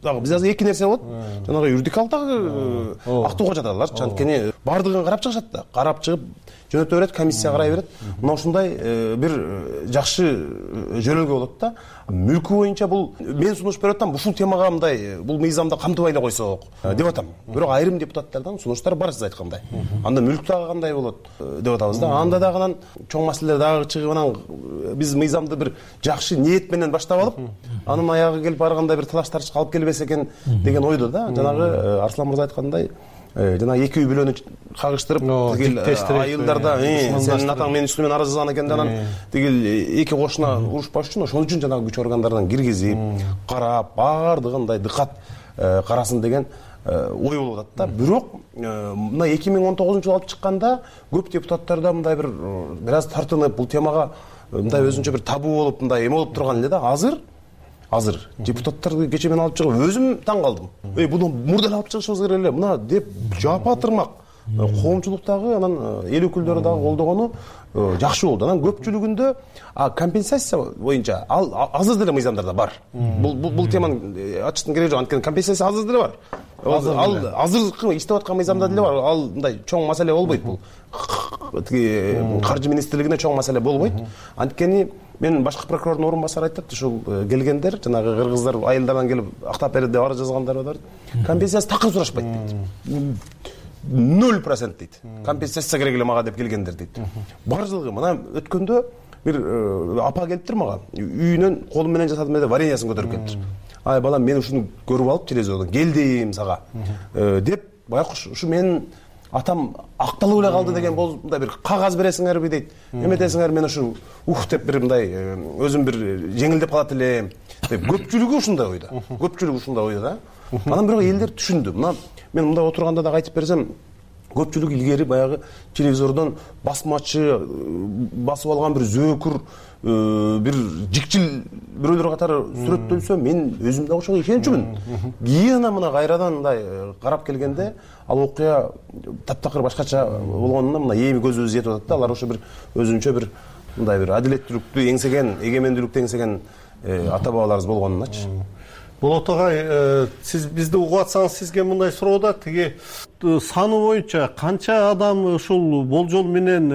дагы биз азыр эки нерсе болот. Жанагы юридикалык дагы актоого жатат алар. Анткени бардыгын карап чыгышат да. Карап чыгып жөнөтө берет, комиссия карай берет. Мына ушундай бир жакшы жөнөлгө болот да. Мүлкү боюнча бул мен сунуш берип атам, ушул темага мындай бул мыйзамда камтыбай эле койсок деп атам. Бирок айрым депутаттардан сунуштар бар, сиз айткандай. Анда мүлк дагы кандай болот деп атабыз да. Анда дагы анан чоң маселелер дагы чыгып, анан биз мыйзамды бир жакшы ниет менен баштап алып, анын аягы келип барганда бир талаш тартышка алып келбесе экен деген ойдо да. Жанагы Арслан мырза айткандай, жана эки үй бүлөнү кагыштырып, тигил айылдарда сенин атаң менин үстүмөн арыз жазган экен, анан тигил эки кошуна урушпаш үчүн ошон үчүн жанагы күч органдарынан киргизип, карап, бардыгындай дыкат карасын деген ой болуп атат да. Бирок мына эки миң он тогузунчу жылы алып чыкканда көп депутаттарда мындай бир бир аз тартынып бул темага мындай өзүнчө бир табуу болуп мындай эме болуп турган эле да. Азыр азыр депутаттарды кечээ мен алып чыгып өзүм таң калдым. Эй, буну мурда эле алып чыгышыбыз керек эле. Мына деп жапа тырмак коомчулуктагы анан эл өкүлдөрү дагы колдогону жакшы болду. Анан көпчүлүгүндө компенсация боюнча ал азыр деле мыйзамдарда бар. Бул бул теманы ачыштын кереги жок. Анткени компенсация азыр деле бар. Ал азыркы иштеп аткан мыйзамда деле бар. Ал мындай чоң маселе болбойт бул. Тиги каржы министрлигине чоң маселе болбойт. Анткени мен башкы прокурордун орун басары айтат, ушул келгендер, жанагы кыргыздар айылдардан келип актап берди деп арыз жазгандар бар. Компенсация такыр сурашпайт дейт. ноль процент дейт. Компенсация керек эле мага деп келгендер дейт. Бардыгы мына өткөндө бир апа келиптир мага. Үйүнөн колу менен жасадым деп вареньясын көтөрүп келиптир. Ай балам, мен ушуну көрүп алып телевизордон келдим сага деп, байкуш ушу менин атам акталып эле калды деген бол мындай бир кагаз бересиңерби дейт. Эметесиңер, мен ушу ух деп бир мындай өзүм бир жеңилдеп калат элем деп. Көпчүлүгү ушундай ойдо. Көпчүлүгү ушундай ойдо да. Анан бирок элдер түшүндү. Мына мен мындай отурганда дагы айтып берсем, көпчүлүк илгери баягы телевизордон басмачы басып алган бир зөөкүр бир жикчил бирөөлөр катары сүрөттөлсө, мен өзүм да ошого ишенчүмүн. Кийин ана мына кайрадан мындай карап келгенде ал окуя таптакыр башкача болгонуна мына эми көзүбүз жетип атат да. Алар ошо бир өзүнчө бир мындай бир адилеттүүлүктү эңсеген, эгемендүүлүктү эңсеген ата бабаларыбыз болгонуначы. Болот агай, сиз бизди угуп атсаңыз, сизге мындай суроо да, тиги саны боюнча канча адам ушул болжол менен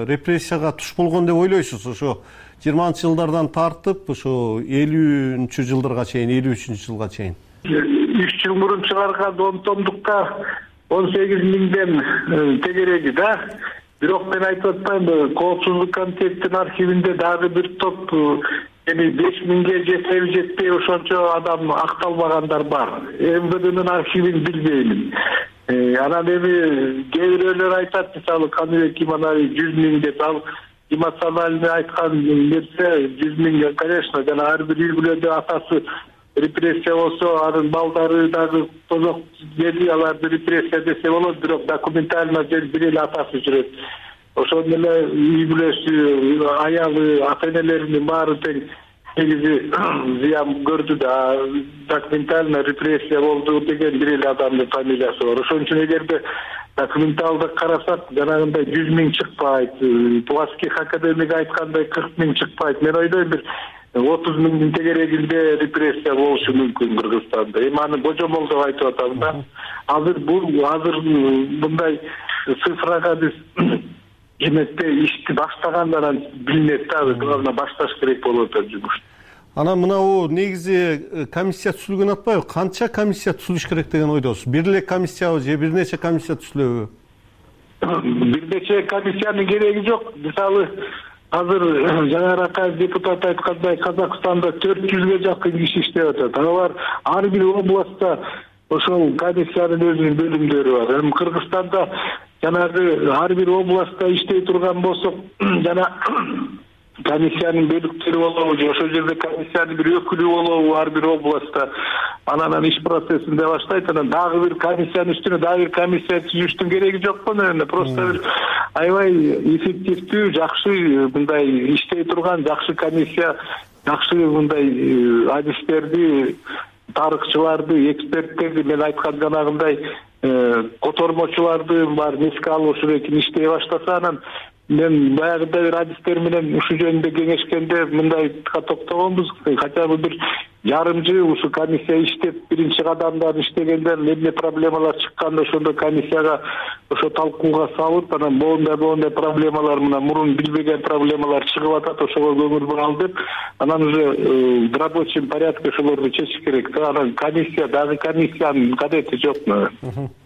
репрессияга туш болгон деп ойлойсуз? Ошо жыйырманчы жылдардан тартып, ошо элүүнчү жылдарга чейин, элүү үчүнчү жылга чейин. үч жыл мурун чыгарган он томдукка он сегиз миңден тегереги да. Бирок мен айтып атпаймынбы, Коопсуздук комитеттин архивинде дагы бир топ эми беш миңге жетеби жетпей ошончо адам акталбагандар бар. эм вэ дэнин архивин билбеймин. Анан эми кээ бирөөлөр айтат, мисалы Каныбек Иманалиев жүз миң деп, ал эмоциональный айткан нерсе жүз миң, конечно, жана ар бир үй бүлөдө атасы репрессия болсо, анын балдары дагы тозок дели аларды репрессия десе болот, бирок документально бир эле атасы жүрөт. Ошондо эле үй бүлөсү, аялы, ата энелеринин баары тең негизи зыян көрдү да, документально репрессия болду деген бир эле адамдын фамилиясы бар. Ошон үчүн эгерде документалды карасак, жанагындай жүз миң чыкпайт, Плоских академик айткандай кырк миң чыкпайт. Мен ойдойм бир отуз миңдин тегерегинде репрессия болушу мүмкүн Кыргызстанда. Эми аны божомол деп айтып атам да. Азыр бул азыр мындай цифрага биз эметпей ишти баштагандан билинет да, главное башташ керек болуп атат жумуш. Анан мынау негизи комиссия түзүлгөн атпайбы? Канча комиссия түзүлүш керек деген ойдосуз? Бир эле комиссиябы же бир нече комиссия түзүлөбү? Бир нече комиссиянын кереги жок. Мисалы азыр жаңыракай депутат айткандай Казакстанда төрт жүзгө жакын киши иштеп атат. Алар ар бир областта ошол комиссиянын өзүнүн бөлүмдөрү бар. Эми Кыргызстанда жанагы ар бир областта иштей турган болсок, жана комиссиянын бөлүктөрү болобу же ошол жерде комиссиянын бир өкүлү болобу ар бир областта, анан иш процессинде баштайт. Анан дагы бир комиссиянын үстүнө дагы бир комиссия түзүштүн кереги жок го, наверное. Просто бир аябай эффективдүү, жакшы мындай иштей турган жакшы комиссия, жакшы мындай адистерди, тарыхчыларды, эксперттерди, мен айткан жанагындай котормочуларды бар эске алып ушул экен иштей баштаса, анан мен баягыда бир адистер менен ушул жөнүндө кеңешкенде мындай токтогонбуз. Хотя бы бир жарым жыл ушу комиссия иштеп, биринчи кадамдан иштегенде эмне проблемалар чыкканда ошондо комиссияга ошо талкууга салып, анан моундай моундай проблемалар, мына мурун билбеген проблемалар чыгып атат, ошого көңүл буралы деп, анан уже в рабочем порядке ошолорду чечиш керек да. Анан комиссия дагы комиссиянын кадети жок.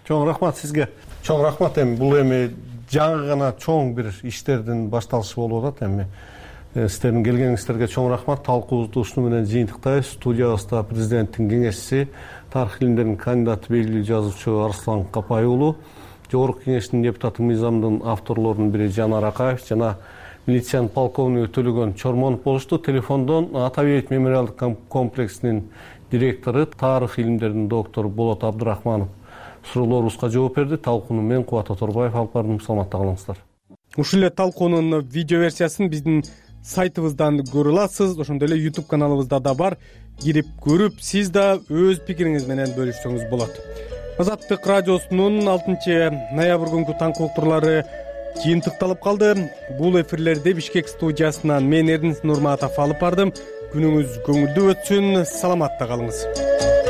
Чоң рахмат сизге. Чоң рахмат. Эми бул эми жаңы гана чоң бир иштердин башталышы болуп атат. Эми сиздердин келгениңиздерге чоң рахмат. Талкуубузду ушуну менен жыйынтыктайбыз. Студиябызда президенттин кеңешчиси, тарых илимдеринин кандидаты, белгилүү жазуучу Арслан Капай уулу, жогорку кеңештин депутаты, мыйзамдын авторлорунун бири Жанар Акаев жана милициянын полковниги Төлөгөн Чормонов болушту. Телефондон Ата Бейит мемориалдык комплексинин директору, тарых илимдеринин доктору Болот Абдырахманов суроолорубузга жооп берди. Талкууну мен Кубат Оторбаев алып бардым. Саламатта калыңыздар. Ушул эле талкуунун видео версиясын биздин сайтыбыздан көрө аласыз. Ошондой эле YouTube каналыбызда да бар. Кирип көрүп, сиз да өз пикириңиз менен бөлүшсөңүз болот. Азаттык радиосунун алтынчы ноябрь күнкү таңкылыктуулары жыйынтыкталып калды. Бул эфирлерди Бишкек студиясынан мен Эрдин Нурматов алып бардым. Күнүңүз көңүлдүү өтсүн. Саламатта калыңыз.